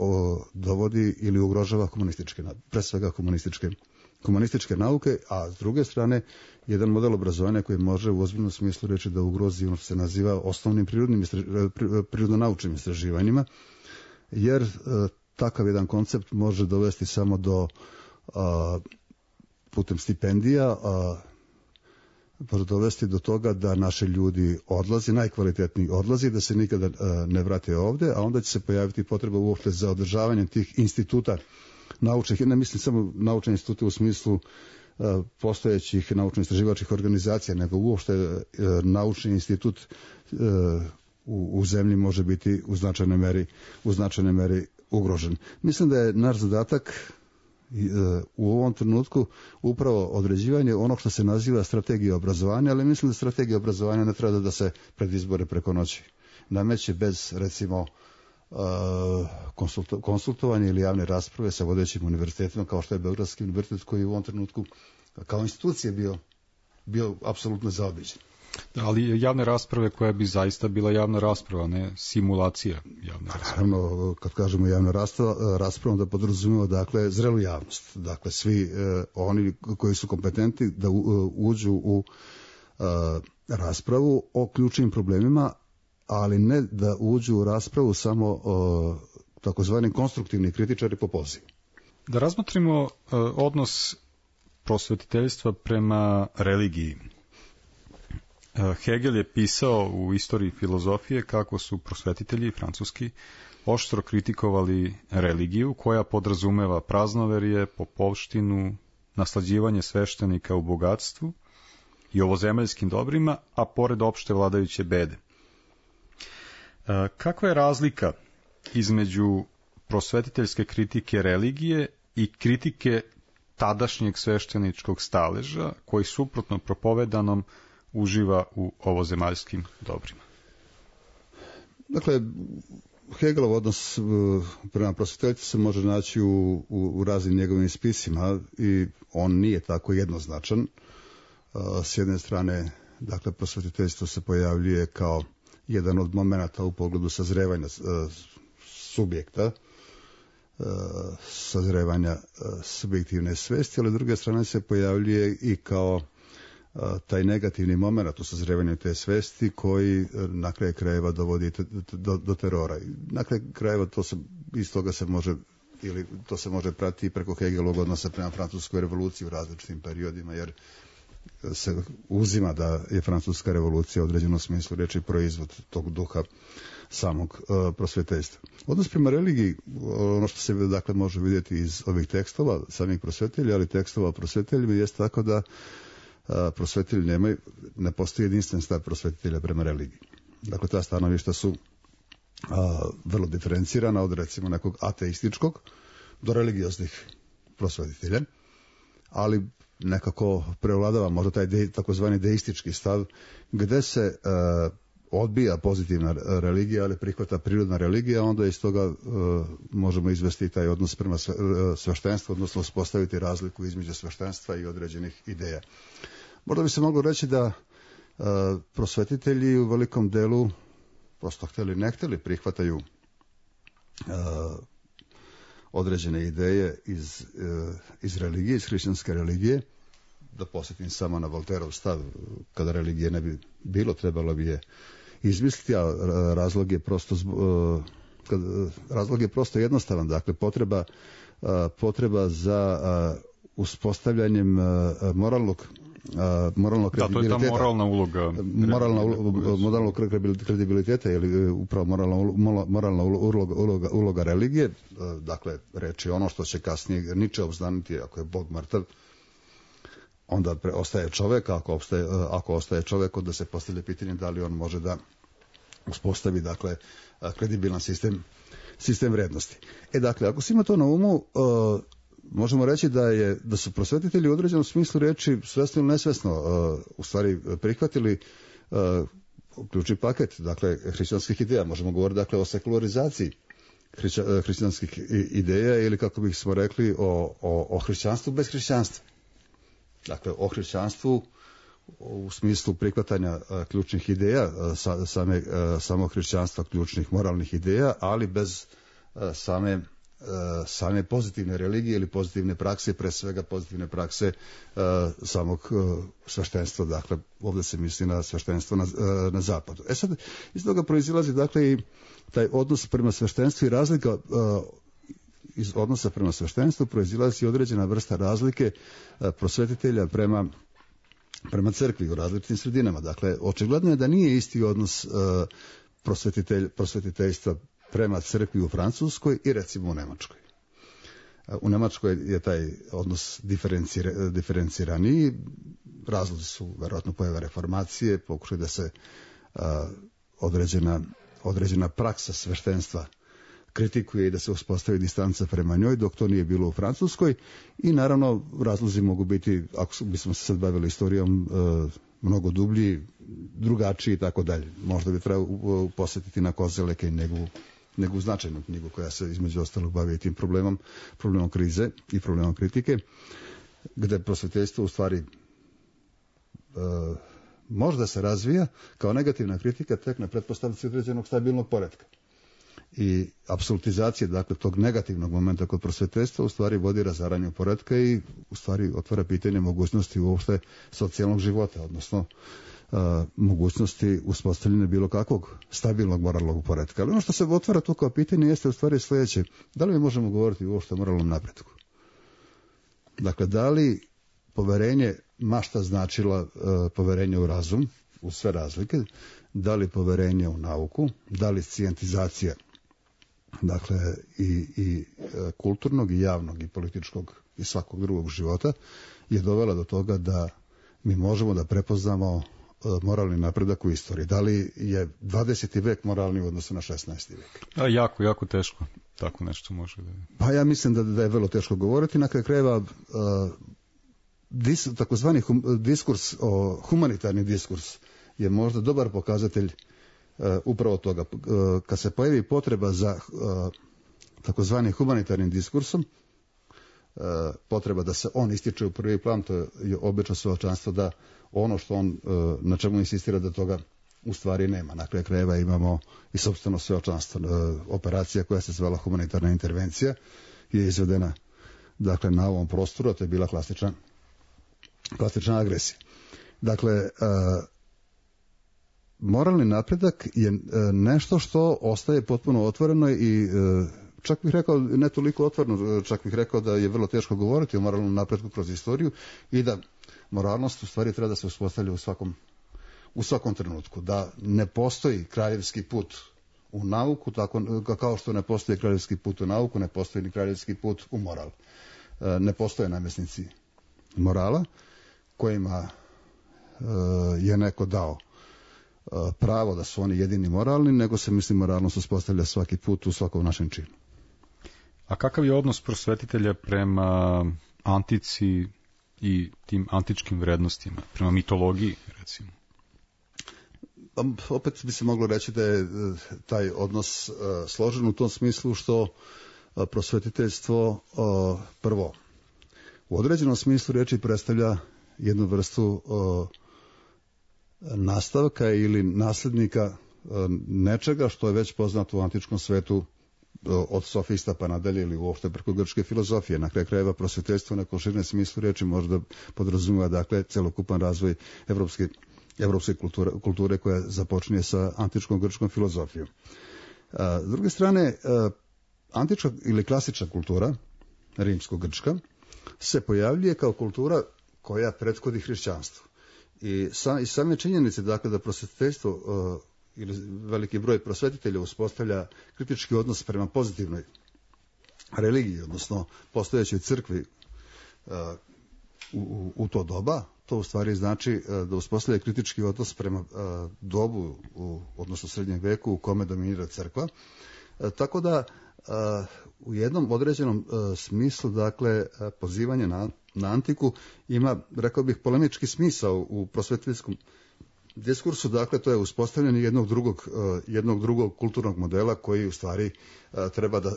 dovodi ili ugrožava komunističke, pre svega komunističke komunističke nauke, a s druge strane jedan model obrazovanja koji može u ozbiljnom smislu reći da ugrozi ono što se naziva osnovnim prirodnim prirodno-naučnim istraživanjima, jer takav jedan koncept može dovesti samo do a, putem stipendija, a, može dovesti do toga da naši ljudi odlazi, najkvalitetniji odlazi, da se nikada a, ne vrate ovde, a onda će se pojaviti potreba uopšte za održavanjem tih instituta naučnih, ne mislim samo naučne institute u smislu uh, postojećih naučno-istraživačkih organizacija, nego uopšte uh, naučni institut uh, u, u zemlji može biti u značajnoj meri, u značajnoj meri ugrožen. Mislim da je naš zadatak uh, u ovom trenutku upravo određivanje onog što se naziva strategija obrazovanja, ali mislim da strategija obrazovanja ne treba da se pred izbore preko noći nameće bez, recimo, konsultovanje ili javne rasprave sa vodećim univerzitetima, kao što je Beogradski univerzitet, koji u ovom trenutku kao institucija bio, bio apsolutno zaobiđen. Ali javne rasprave koja bi zaista bila javna rasprava, ne simulacija javne rasprave. Naravno, kad kažemo javna rasprava, rasprava da podrazumijeva, dakle, zrelu javnost. Dakle, svi eh, oni koji su kompetentni da u, uđu u eh, raspravu o ključnim problemima, ali ne da uđu u raspravu samo o takozvani konstruktivni kritičari po pozivu. Da razmotrimo uh, odnos prosvetiteljstva prema religiji. Uh, Hegel je pisao u Istoriji filozofije kako su prosvetitelji francuski oštro kritikovali religiju koja podrazumeva praznoverje, popovštinu, naslađivanje sveštenika u bogatstvu i ovozemaljskim dobrima, a pored opšte vladajuće bede. Kakva je razlika između prosvetiteljske kritike religije i kritike tadašnjeg svešteničkog staleža koji suprotno propovedanom uživa u ovozemaljskim dobrima? Dakle, Hegelov odnos prema prosvetiteljstvu se može naći u, u, u raznim njegovim spisima i on nije tako jednoznačan. S jedne strane, dakle, prosvetiteljstvo se pojavljuje kao jedan od momenata u pogledu sazrevanja subjekta, sazrevanja subjektivne svesti, ali s druge strane se pojavljuje i kao taj negativni moment u sazrevanju te svesti koji na kraju krajeva dovodi do, do, do terora. Na kraju krajeva to se, iz toga se može ili to se može pratiti preko Hegelovog odnosa prema francuskoj revoluciji u različitim periodima, jer se uzima da je francuska revolucija u određenom smislu reči proizvod tog duha samog uh, prosvjetiteljstva. Odnos prema religiji, ono što se dakle može vidjeti iz ovih tekstova samih prosvjetitelja, ali tekstova o prosvjetiteljima jest tako da uh, prosvjetitelji nemaju, ne postoji jedinstven stav prosvjetitelja prema religiji. Dakle, ta stanovišta su uh, vrlo diferencirana od recimo nekog ateističkog do religioznih prosvjetitelja, ali nekako prevladava možda taj de, takozvani deistički stav gdje se e, odbija pozitivna religija, ali prihvata prirodna religija, onda iz toga e, možemo izvesti taj odnos prema sve, e, sveštenstvu, odnosno uspostaviti razliku između sveštenstva i određenih ideja. Možda bi se moglo reći da e, prosvetitelji u velikom delu prosto htjeli ne htjeli prihvataju e, određene ideje iz, iz religije, iz hrišćanske religije. Da posjetim samo na Volterov stav, kada religije ne bi bilo, trebalo bi je izmisliti, a razlog je prosto, razlog je prosto jednostavan. Dakle, potreba, potreba za uspostavljanjem moralnog moralnog kredibiliteta. Da, to je ta moralna uloga. Moralna moralnog kredibiliteta ili upravo moralna moralna uloga, uloga, uloga religije. Dakle, reći ono što će kasnije Nietzsche obznaniti, ako je Bog mrtav, onda pre, ostaje čovjek, ako, ostaje, ako ostaje čovjek, onda se postavlja pitanje da li on može da uspostavi, dakle, kredibilan sistem, sistem vrednosti. E, dakle, ako se ima to na umu, uh, možemo reći da je da su prosvetitelji u određenom smislu reči svesno ili nesvesno uh, u stvari prihvatili uh, ključni paket, dakle, hrišćanskih ideja. Možemo govoriti, dakle, o sekularizaciji hrišća, hrišćanskih ideja ili, kako bih smo rekli, o, o, o hrišćanstvu bez hrišćanstva. Dakle, o hrišćanstvu u smislu prihvatanja uh, ključnih ideja, uh, sa, same, uh, samog hrišćanstva, ključnih moralnih ideja, ali bez uh, same same pozitivne religije ili pozitivne prakse, pre svega pozitivne prakse uh, samog uh, sveštenstva, dakle ovdje se misli na sveštenstvo na, uh, na zapadu. E sad, iz toga proizilazi dakle i taj odnos prema sveštenstvu i razlika uh, iz odnosa prema sveštenstvu proizilazi određena vrsta razlike uh, prosvetitelja prema prema crkvi u različitim sredinama. Dakle, očigledno je da nije isti odnos uh, prosvetitelj, prosvetiteljstva prema crkvi u Francuskoj i recimo u Njemačkoj. U Njemačkoj je taj odnos diferenciraniji, razlozi su verovatno pojava reformacije, pokušaj da se a, određena, određena praksa sveštenstva kritikuje i da se uspostavi distanca prema njoj, dok to nije bilo u Francuskoj, i naravno razlozi mogu biti, ako bismo se sad bavili istorijom, a, mnogo dublji, drugačiji i tako dalje. Možda bi trebalo posjetiti na Kozeleke i njegovu nego značajnu knjigu koja se između ostalog bavi tim problemom, problemom krize i problemom kritike, gde prosvetiteljstvo u stvari e, možda se razvija kao negativna kritika tek na pretpostavci određenog stabilnog poretka. I apsolutizacija, dakle, tog negativnog momenta kod prosvetiteljstva u stvari vodi razaranju poretka i u stvari otvara pitanje mogućnosti uopšte socijalnog života, odnosno Uh, mogućnosti uspostavljanja bilo kakvog stabilnog moralnog poretka. Ali ono što se otvara tu kao pitanje jeste u stvari sljedeće. Da li mi možemo govoriti uopšte o moralnom napretku? Dakle, da li poverenje mašta značila uh, poverenje u razum, u sve razlike, da li poverenje u nauku, da li scijentizacija, dakle, i, i uh, kulturnog, i javnog, i političkog, i svakog drugog života, je dovela do toga da mi možemo da prepoznamo moralni napredak u istoriji. Da li je dvadeseti vek moralni u odnosu na šesnaesti vek? A, jako, jako teško. Tako nešto može da je. Pa ja mislim da, da je vrlo teško govoriti. Na kraju krajeva uh, dis, takozvani hum, diskurs, o, humanitarni diskurs je možda dobar pokazatelj uh, upravo toga. Uh, kad se pojavi potreba za uh, takozvani humanitarnim diskursom, uh, potreba da se on ističe u prvi plan, to je obično svedočanstvo da ono što on, na čemu insistira, da toga u stvari nema. Na kraju krajeva imamo i sopstveno svedočanstvo. Operacija koja se zvala humanitarna intervencija je izvedena, dakle, na ovom prostoru, a to je bila klasična, klasična agresija. Dakle, moralni napredak je nešto što ostaje potpuno otvoreno i čak bih rekao, ne toliko otvoreno, čak bih rekao da je vrlo teško govoriti o moralnom napretku kroz istoriju i da moralnost u stvari treba da se uspostavlja u svakom, u svakom trenutku. Da ne postoji kraljevski put u nauku, tako, kao što ne postoji kraljevski put u nauku, ne postoji ni kraljevski put u moral. Ne postoje namjesnici morala kojima je neko dao pravo da su oni jedini moralni, nego se, mislim, moralnost uspostavlja svaki put u svakom našem činu. A kakav je odnos prosvetitelja prema antici i tim antičkim vrednostima, prema mitologiji, recimo? Opet bi se moglo reći da je taj odnos složen u tom smislu što prosvetiteljstvo prvo u određenom smislu riječi predstavlja jednu vrstu nastavka ili nasljednika nečega što je već poznato u antičkom svetu od sofista pa nadalje ili uopšte preko grčke filozofije. Na kraju krajeva prosvetiteljstvo u nekom širem smislu riječi možda podrazumijeva dakle celokupan razvoj evropske, evropske kulture, kulture koja započinje sa antičkom grčkom filozofijom. S druge strane, antička ili klasična kultura, rimsko-grčka, se pojavljuje kao kultura koja prethodi hrišćanstvu. I sa, i same činjenice dakle da prosvetiteljstvo uh, ili veliki broj prosvetitelja uspostavlja kritički odnos prema pozitivnoj religiji, odnosno postojećoj crkvi uh, u, u to doba, to u stvari znači uh, da uspostavlja kritički odnos prema uh, dobu, u, odnosno srednjem veku u kome dominira crkva. Uh, tako da uh, u jednom određenom uh, smislu, dakle, uh, pozivanje na na antiku ima, rekao bih, polemički smisao u prosvetiteljskom diskursu, dakle to je uspostavljanje jednog drugog, jednog drugog kulturnog modela koji u stvari treba da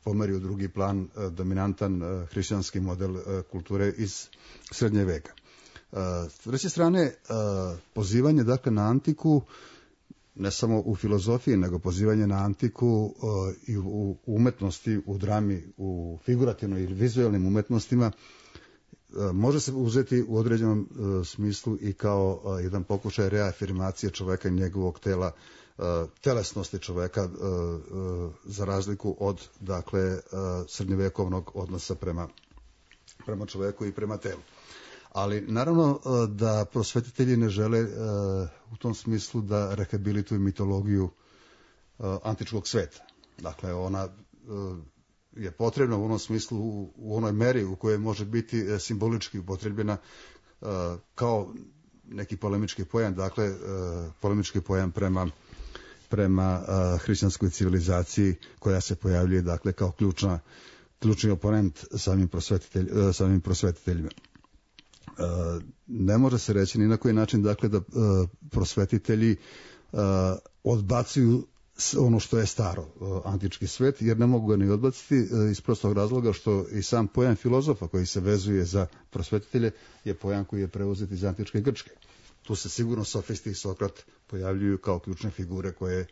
pomeri u drugi plan dominantan hrišćanski model kulture iz srednje veka. S treće strane, pozivanje dakle na antiku ne samo u filozofiji, nego pozivanje na antiku i u umetnosti, u drami, u figurativnoj ili vizualnim umetnostima može se uzeti u određenom uh, smislu i kao uh, jedan pokušaj reafirmacije čoveka i njegovog tela, uh, telesnosti čoveka, uh, uh, za razliku od, dakle, uh, srednjevekovnog odnosa prema, prema čoveku i prema telu. Ali naravno uh, da prosvetitelji ne žele uh, u tom smislu da rehabilituju mitologiju uh, antičkog sveta. Dakle, ona uh, je potrebna u onom smislu, u onoj meri u kojoj može biti simbolički upotrebljena uh, kao neki polemički pojam, dakle uh, polemički pojam prema, prema uh, hrišćanskoj civilizaciji koja se pojavljuje dakle kao ključna, ključni oponent samim, prosvetitelj, uh, samim prosvetiteljima. Uh, ne može se reći ni na koji način dakle da uh, prosvetitelji uh, odbacuju ono što je staro, antički svet, jer ne mogu ga ni odbaciti iz prostog razloga što i sam pojam filozofa koji se vezuje za prosvetitelje je pojam koji je preuzet iz antičke Grčke. Tu se sigurno sofisti i Sokrat pojavljuju kao ključne figure koje,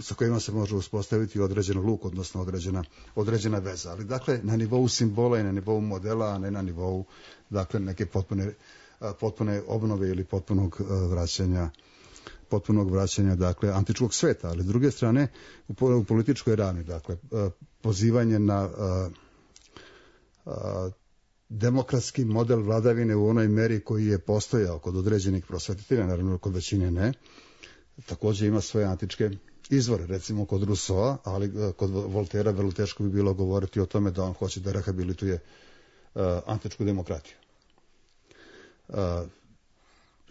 sa kojima se može uspostaviti određen luk, odnosno određena, određena veza. Ali dakle, na nivou simbola i na nivou modela, a ne na nivou dakle, neke potpune, potpune obnove ili potpunog vraćanja potpunog vraćanja dakle antičkog sveta, ali s druge strane u, u političkoj ravni, dakle pozivanje na a, a, demokratski model vladavine u onoj meri koji je postojao kod određenih prosvetitelja, naravno kod većine ne, također ima svoje antičke izvore, recimo kod Rousseau, ali kod Voltera vrlo teško bi bilo govoriti o tome da on hoće da rehabilituje a, antičku demokratiju. A,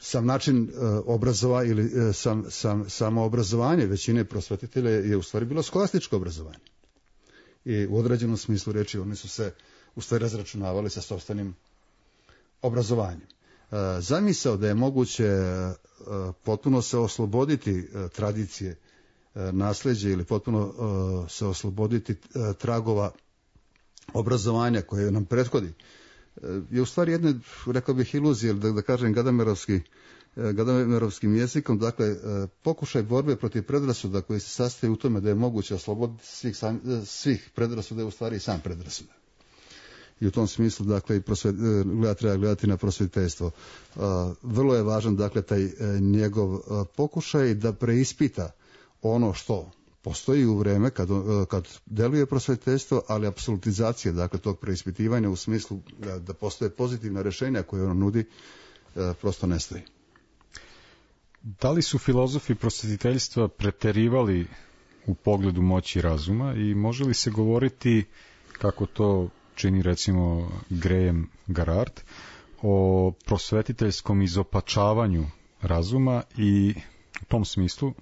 Sam način uh, obrazovanja ili uh, sam, sam, samo obrazovanje većine prosvetitelja je u stvari bilo skolastičko obrazovanje. I u određenom smislu reči oni su se u stvari razračunavali sa sopstvenim obrazovanjem. Uh, zamisao da je moguće uh, potpuno se osloboditi uh, tradicije, uh, nasljeđe ili potpuno uh, se osloboditi uh, tragova obrazovanja koje nam prethodi, je u stvari jedna, rekao bih, iluzija, da, da kažem gadamerovski, gadamerovskim jezikom, dakle, pokušaj borbe protiv predrasuda koji se sastoji u tome da je moguće osloboditi svih, sam, svih predrasuda je u stvari i sam predrasuda. i u tom smislu dakle i prosvet, gleda, treba gledati na prosvjetiteljstvo. Vrlo je važan dakle taj njegov pokušaj da preispita ono što postoji u vreme kad, kad deluje prosvjetiteljstvo, ali apsolutizacija dakle tog preispitivanja u smislu da, da postoje pozitivna rješenja koje ono nudi prosto ne stoji. Da li su filozofi prosvjetiteljstva preterivali u pogledu moći razuma i može li se govoriti, kako to čini recimo Graham Garrard, o prosvetiteljskom izopačavanju razuma i u tom smislu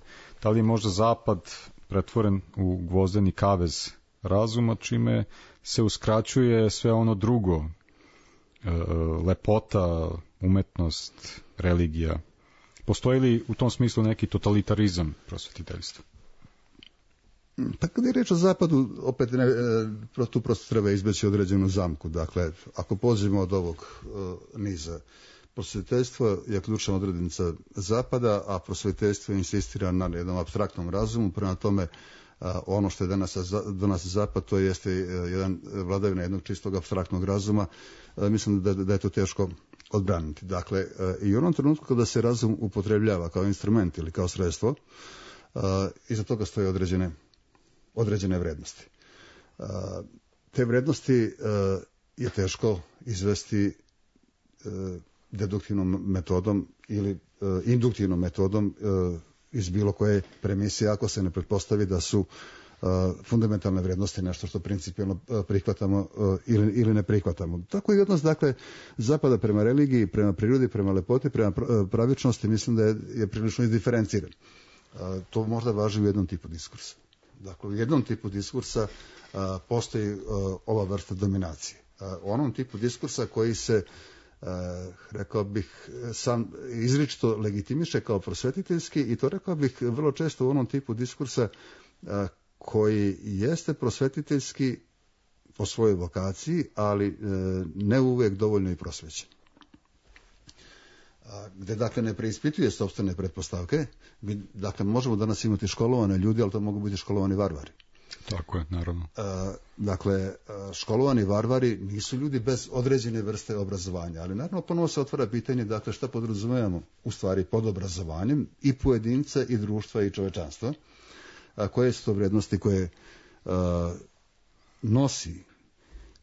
da li je možda zapad pretvoren u gvozdeni kavez razuma, čime se uskraćuje sve ono drugo, lepota, umetnost, religija. Postoji li u tom smislu neki totalitarizam prosvetiteljstva? Pa kada je reč o zapadu, opet ne, tu prosto treba izbeći određenu zamku. Dakle, ako pođemo od ovog uh, niza, prosvetiteljstvo je ključna odrednica zapada, a prosvetiteljstvo insistira na jednom apstraktnom razumu, prema tome uh, ono što je danas, danas zapad, to jeste uh, jedan vladavina jednog čistog apstraktnog razuma, uh, mislim da, da je to teško odbraniti. Dakle, uh, i u onom trenutku kada se razum upotrebljava kao instrument ili kao sredstvo, uh, iza toga stoje određene određene vrednosti. Uh, te vrednosti uh, je teško izvesti uh, deduktivnom metodom ili uh, induktivnom metodom uh, iz bilo koje premisije, ako se ne pretpostavi da su uh, fundamentalne vrednosti nešto što principijelno uh, prihvatamo uh, ili, ili ne prihvatamo. Tako i odnos, dakle, zapada prema religiji, prema prirodi, prema lepoti, prema pravičnosti, mislim da je, je prilično izdiferenciran. Uh, to možda važi u jednom tipu diskursa. Dakle, u jednom tipu diskursa a, postoji a, ova vrsta dominacije. A, u onom tipu diskursa koji se, a, rekao bih, sam izričito legitimiše kao prosvetiteljski i to, rekao bih, vrlo često u onom tipu diskursa a, koji jeste prosvetiteljski po svojoj vokaciji, ali a, ne uvijek dovoljno i prosvećen. Gde dakle ne preispituje sopstvene pretpostavke. Mi, dakle, možemo danas imati školovane ljudi, ali to mogu biti školovani varvari. Tako je, naravno. E, dakle, školovani varvari nisu ljudi bez određene vrste obrazovanja, ali naravno ponovo se otvara pitanje, dakle, šta podrazumevamo u stvari pod obrazovanjem i pojedinca i društva i čovečanstva, a koje su to vrednosti koje a, nosi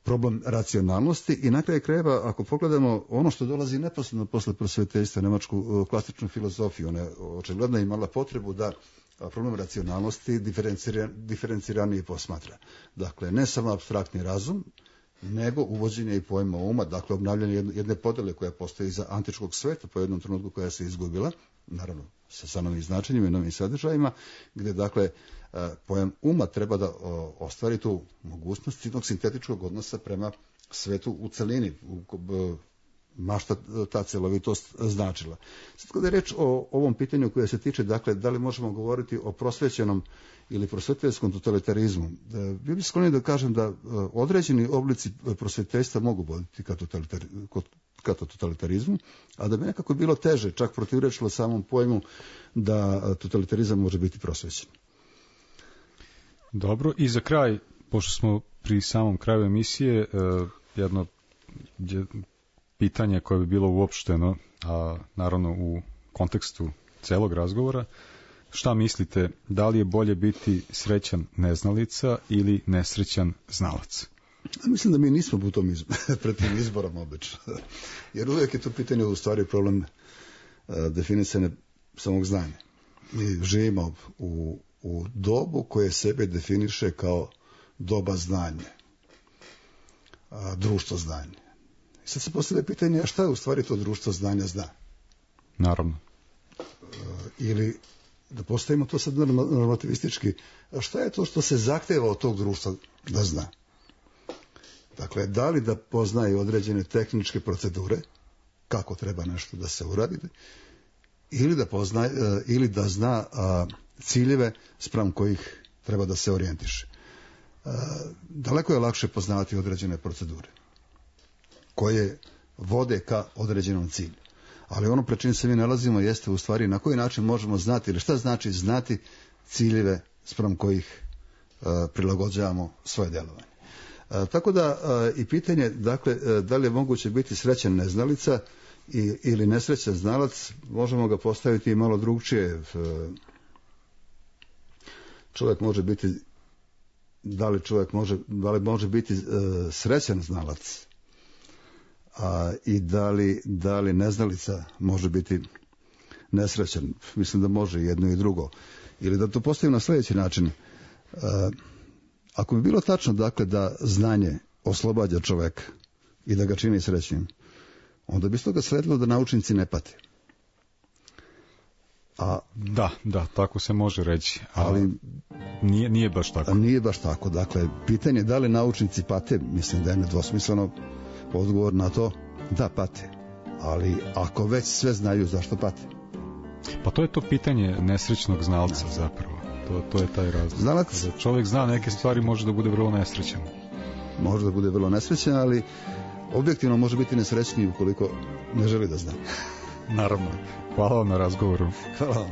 problem racionalnosti i na kraju krajeva, ako pogledamo ono što dolazi neposredno posle prosvetiteljstva, nemačku klasičnu filozofiju, ona je očigledno imala potrebu da problem racionalnosti diferenciranije posmatra. Dakle, ne samo apstraktni razum, nego uvođenje i pojma uma, dakle, obnavljanje jedne podele koja postoji za antičkog sveta po jednom trenutku koja se izgubila, naravno sa, sa novim značenjima i novim sadržajima, gde, dakle, pojam uma treba da ostvari tu mogućnost jednog sintetičkog odnosa prema svetu u celini, u, mašta ta celovitost značila. Sad kada je reč o ovom pitanju koje se tiče, dakle, da li možemo govoriti o prosvećenom ili prosvetiteljskom totalitarizmu, bio bih sklonjen da kažem da određeni oblici prosvetiteljstva mogu voditi ka, totalitar, ka totalitarizmu, a da bi nekako bilo teže, čak protivrečilo samom pojmu da totalitarizam može biti prosvećen. Dobro, i za kraj, pošto smo pri samom kraju emisije, jedno pitanje koje bi bilo uopšteno, a naravno u kontekstu celog razgovora, šta mislite, da li je bolje biti srećan neznalica ili nesrećan znalac? Mislim da mi nismo u tom izboru, pred tim izborom obično, jer uvijek je to pitanje u stvari problem definisane samog znanja. Mi živimo u u dobu koje sebe definiše kao doba znanja, a, društvo znanja. I sad se postavlja pitanje, a šta je u stvari to društvo znanja zna? Naravno. E, ili, da postavimo to sad normativistički, a šta je to što se zahteva od tog društva da zna? Dakle, da li da poznaje određene tehničke procedure, kako treba nešto da se uradi, ili da, poznaje, ili da zna a, ciljeve spram kojih treba da se orijentiše. E, daleko je lakše poznavati određene procedure koje vode ka određenom cilju. Ali ono pred čim se mi nalazimo jeste u stvari na koji način možemo znati, ili šta znači znati ciljeve spram kojih e, prilagođavamo svoje djelovanje. A, tako da a, i pitanje, dakle, a, da li je moguće biti srećan neznalica i, ili nesrećan znalac, možemo ga postaviti i malo drugčije. A, čovjek može biti, da li čovjek može, da li može biti a, srećan znalac, a, i da li, da li neznalica može biti nesrećan. Mislim da može jedno i drugo. Ili da to postavim na sljedeći način. Uh, ako bi bilo tačno, dakle, da znanje oslobađa čoveka i da ga čini srećnim, onda bi s toga sledilo da naučnici ne pate. A, Da, da, tako se može reći. ali Ali nije, nije baš tako. a nije baš tako. Dakle, pitanje da li naučnici pate, mislim da je nedvosmisleno odgovor na to da pate. Ali ako već sve znaju, zašto pate? Pa to je to pitanje nesrećnog znalca zapravo. To, to je taj razlog. Znalac Kada čovjek zna neke stvari, može da bude vrlo nesrećan. može da bude vrlo nesrećan, ali objektivno može biti nesrećniji ukoliko ne želi da zna. Naravno. Hvala vam na razgovoru. Hvala vam.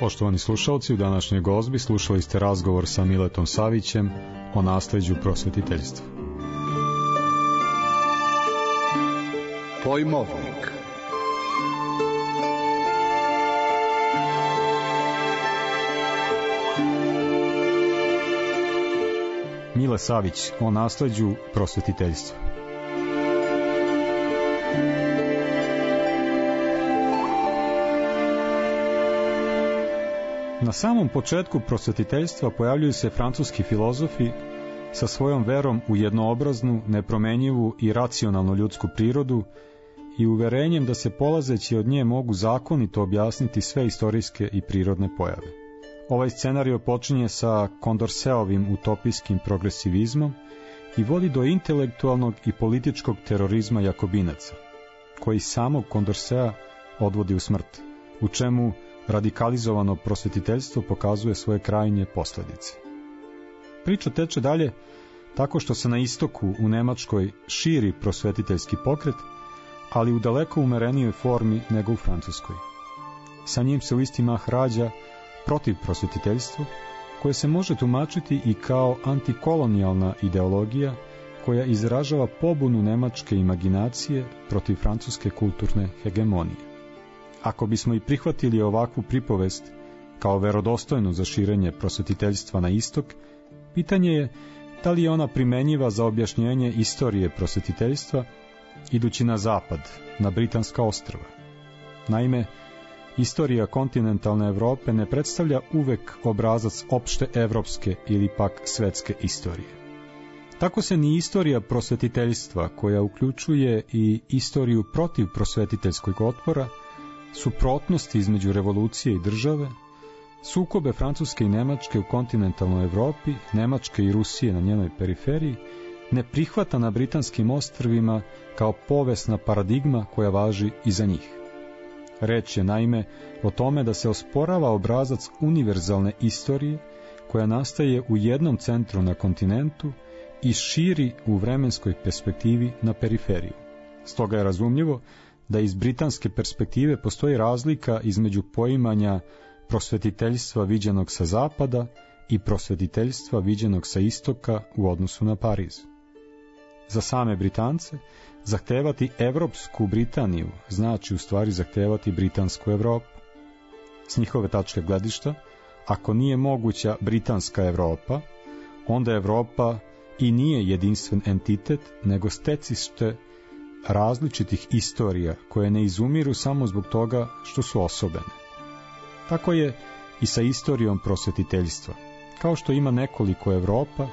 Poštovani slušalci, u današnjoj gozbi slušali ste razgovor sa Miletom Savićem o nasleđu prosvetiteljstva. Pojmovnik. Mile Savić o nasleđu prosvetiteljstva. Na samom početku prosvetiteljstva pojavljuju se francuski filozofi sa svojom verom u jednoobraznu, nepromenjivu i racionalnu ljudsku prirodu i uverenjem da se polazeći od nje mogu zakonito objasniti sve istorijske i prirodne pojave. Ovaj scenario počinje sa Condorcetovim utopijskim progresivizmom i vodi do intelektualnog i političkog terorizma jakobinaca, koji samog Condorceta odvodi u smrt, u čemu radikalizovano prosvetiteljstvo pokazuje svoje krajnje posljedice. Priča teče dalje tako što se na istoku u Nemačkoj širi prosvetiteljski pokret, ali u daleko umerenijoj formi nego u Francuskoj. Sa njim se u isti mah rađa protiv prosvetiteljstva, koje se može tumačiti i kao antikolonijalna ideologija koja izražava pobunu nemačke imaginacije protiv francuske kulturne hegemonije. Ako bismo i prihvatili ovakvu pripovest kao verodostojnu za širenje prosvetiteljstva na istok, pitanje je da li je ona primenjiva za objašnjenje istorije prosvetiteljstva idući na zapad, na Britanska ostrva. Naime, istorija kontinentalne Evrope ne predstavlja uvek obrazac opšte evropske ili pak svetske istorije. Tako se ni istorija prosvetiteljstva, koja uključuje i istoriju protiv prosvetiteljskog otpora, suprotnosti između revolucije i države, sukobe Francuske i Nemačke u kontinentalnoj Evropi, Nemačke i Rusije na njenoj periferiji, ne prihvata na britanskim ostrvima kao povesna paradigma koja važi i za njih. Reč je naime o tome da se osporava obrazac univerzalne istorije koja nastaje u jednom centru na kontinentu i širi u vremenskoj perspektivi na periferiju. Stoga je razumljivo da iz britanske perspektive postoji razlika između poimanja prosvetiteljstva viđenog sa zapada i prosvetiteljstva viđenog sa istoka u odnosu na Pariz. Za same Britance, zahtevati Evropsku Britaniju znači u stvari zahtevati Britansku Evropu. S njihove tačke gledišta, ako nije moguća Britanska Evropa, onda Evropa i nije jedinstven entitet, nego stecište različitih istorija koje ne izumiru samo zbog toga što su osobene. Tako je i sa istorijom prosvetiteljstva. Kao što ima nekoliko Evropa,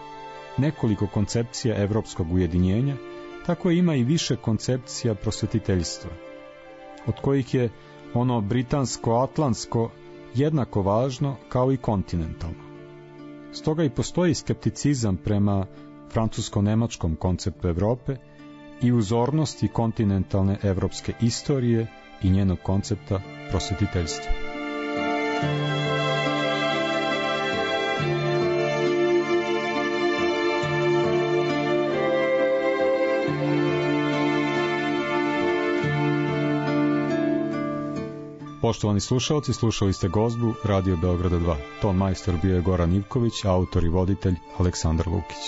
nekoliko koncepcija evropskog ujedinjenja, tako ima i više koncepcija prosvetiteljstva, od kojih je ono britansko-atlantsko jednako važno kao i kontinentalno. Stoga i postoji skepticizam prema francusko-nemačkom konceptu Evrope i uzornosti kontinentalne evropske istorije i njenog koncepta prosvetiteljstva. Poštovani slušalci, slušali ste gozbu Radio Beograda dva. Ton majstor bio je Goran Ivković, autor i voditelj Aleksandar Lukić.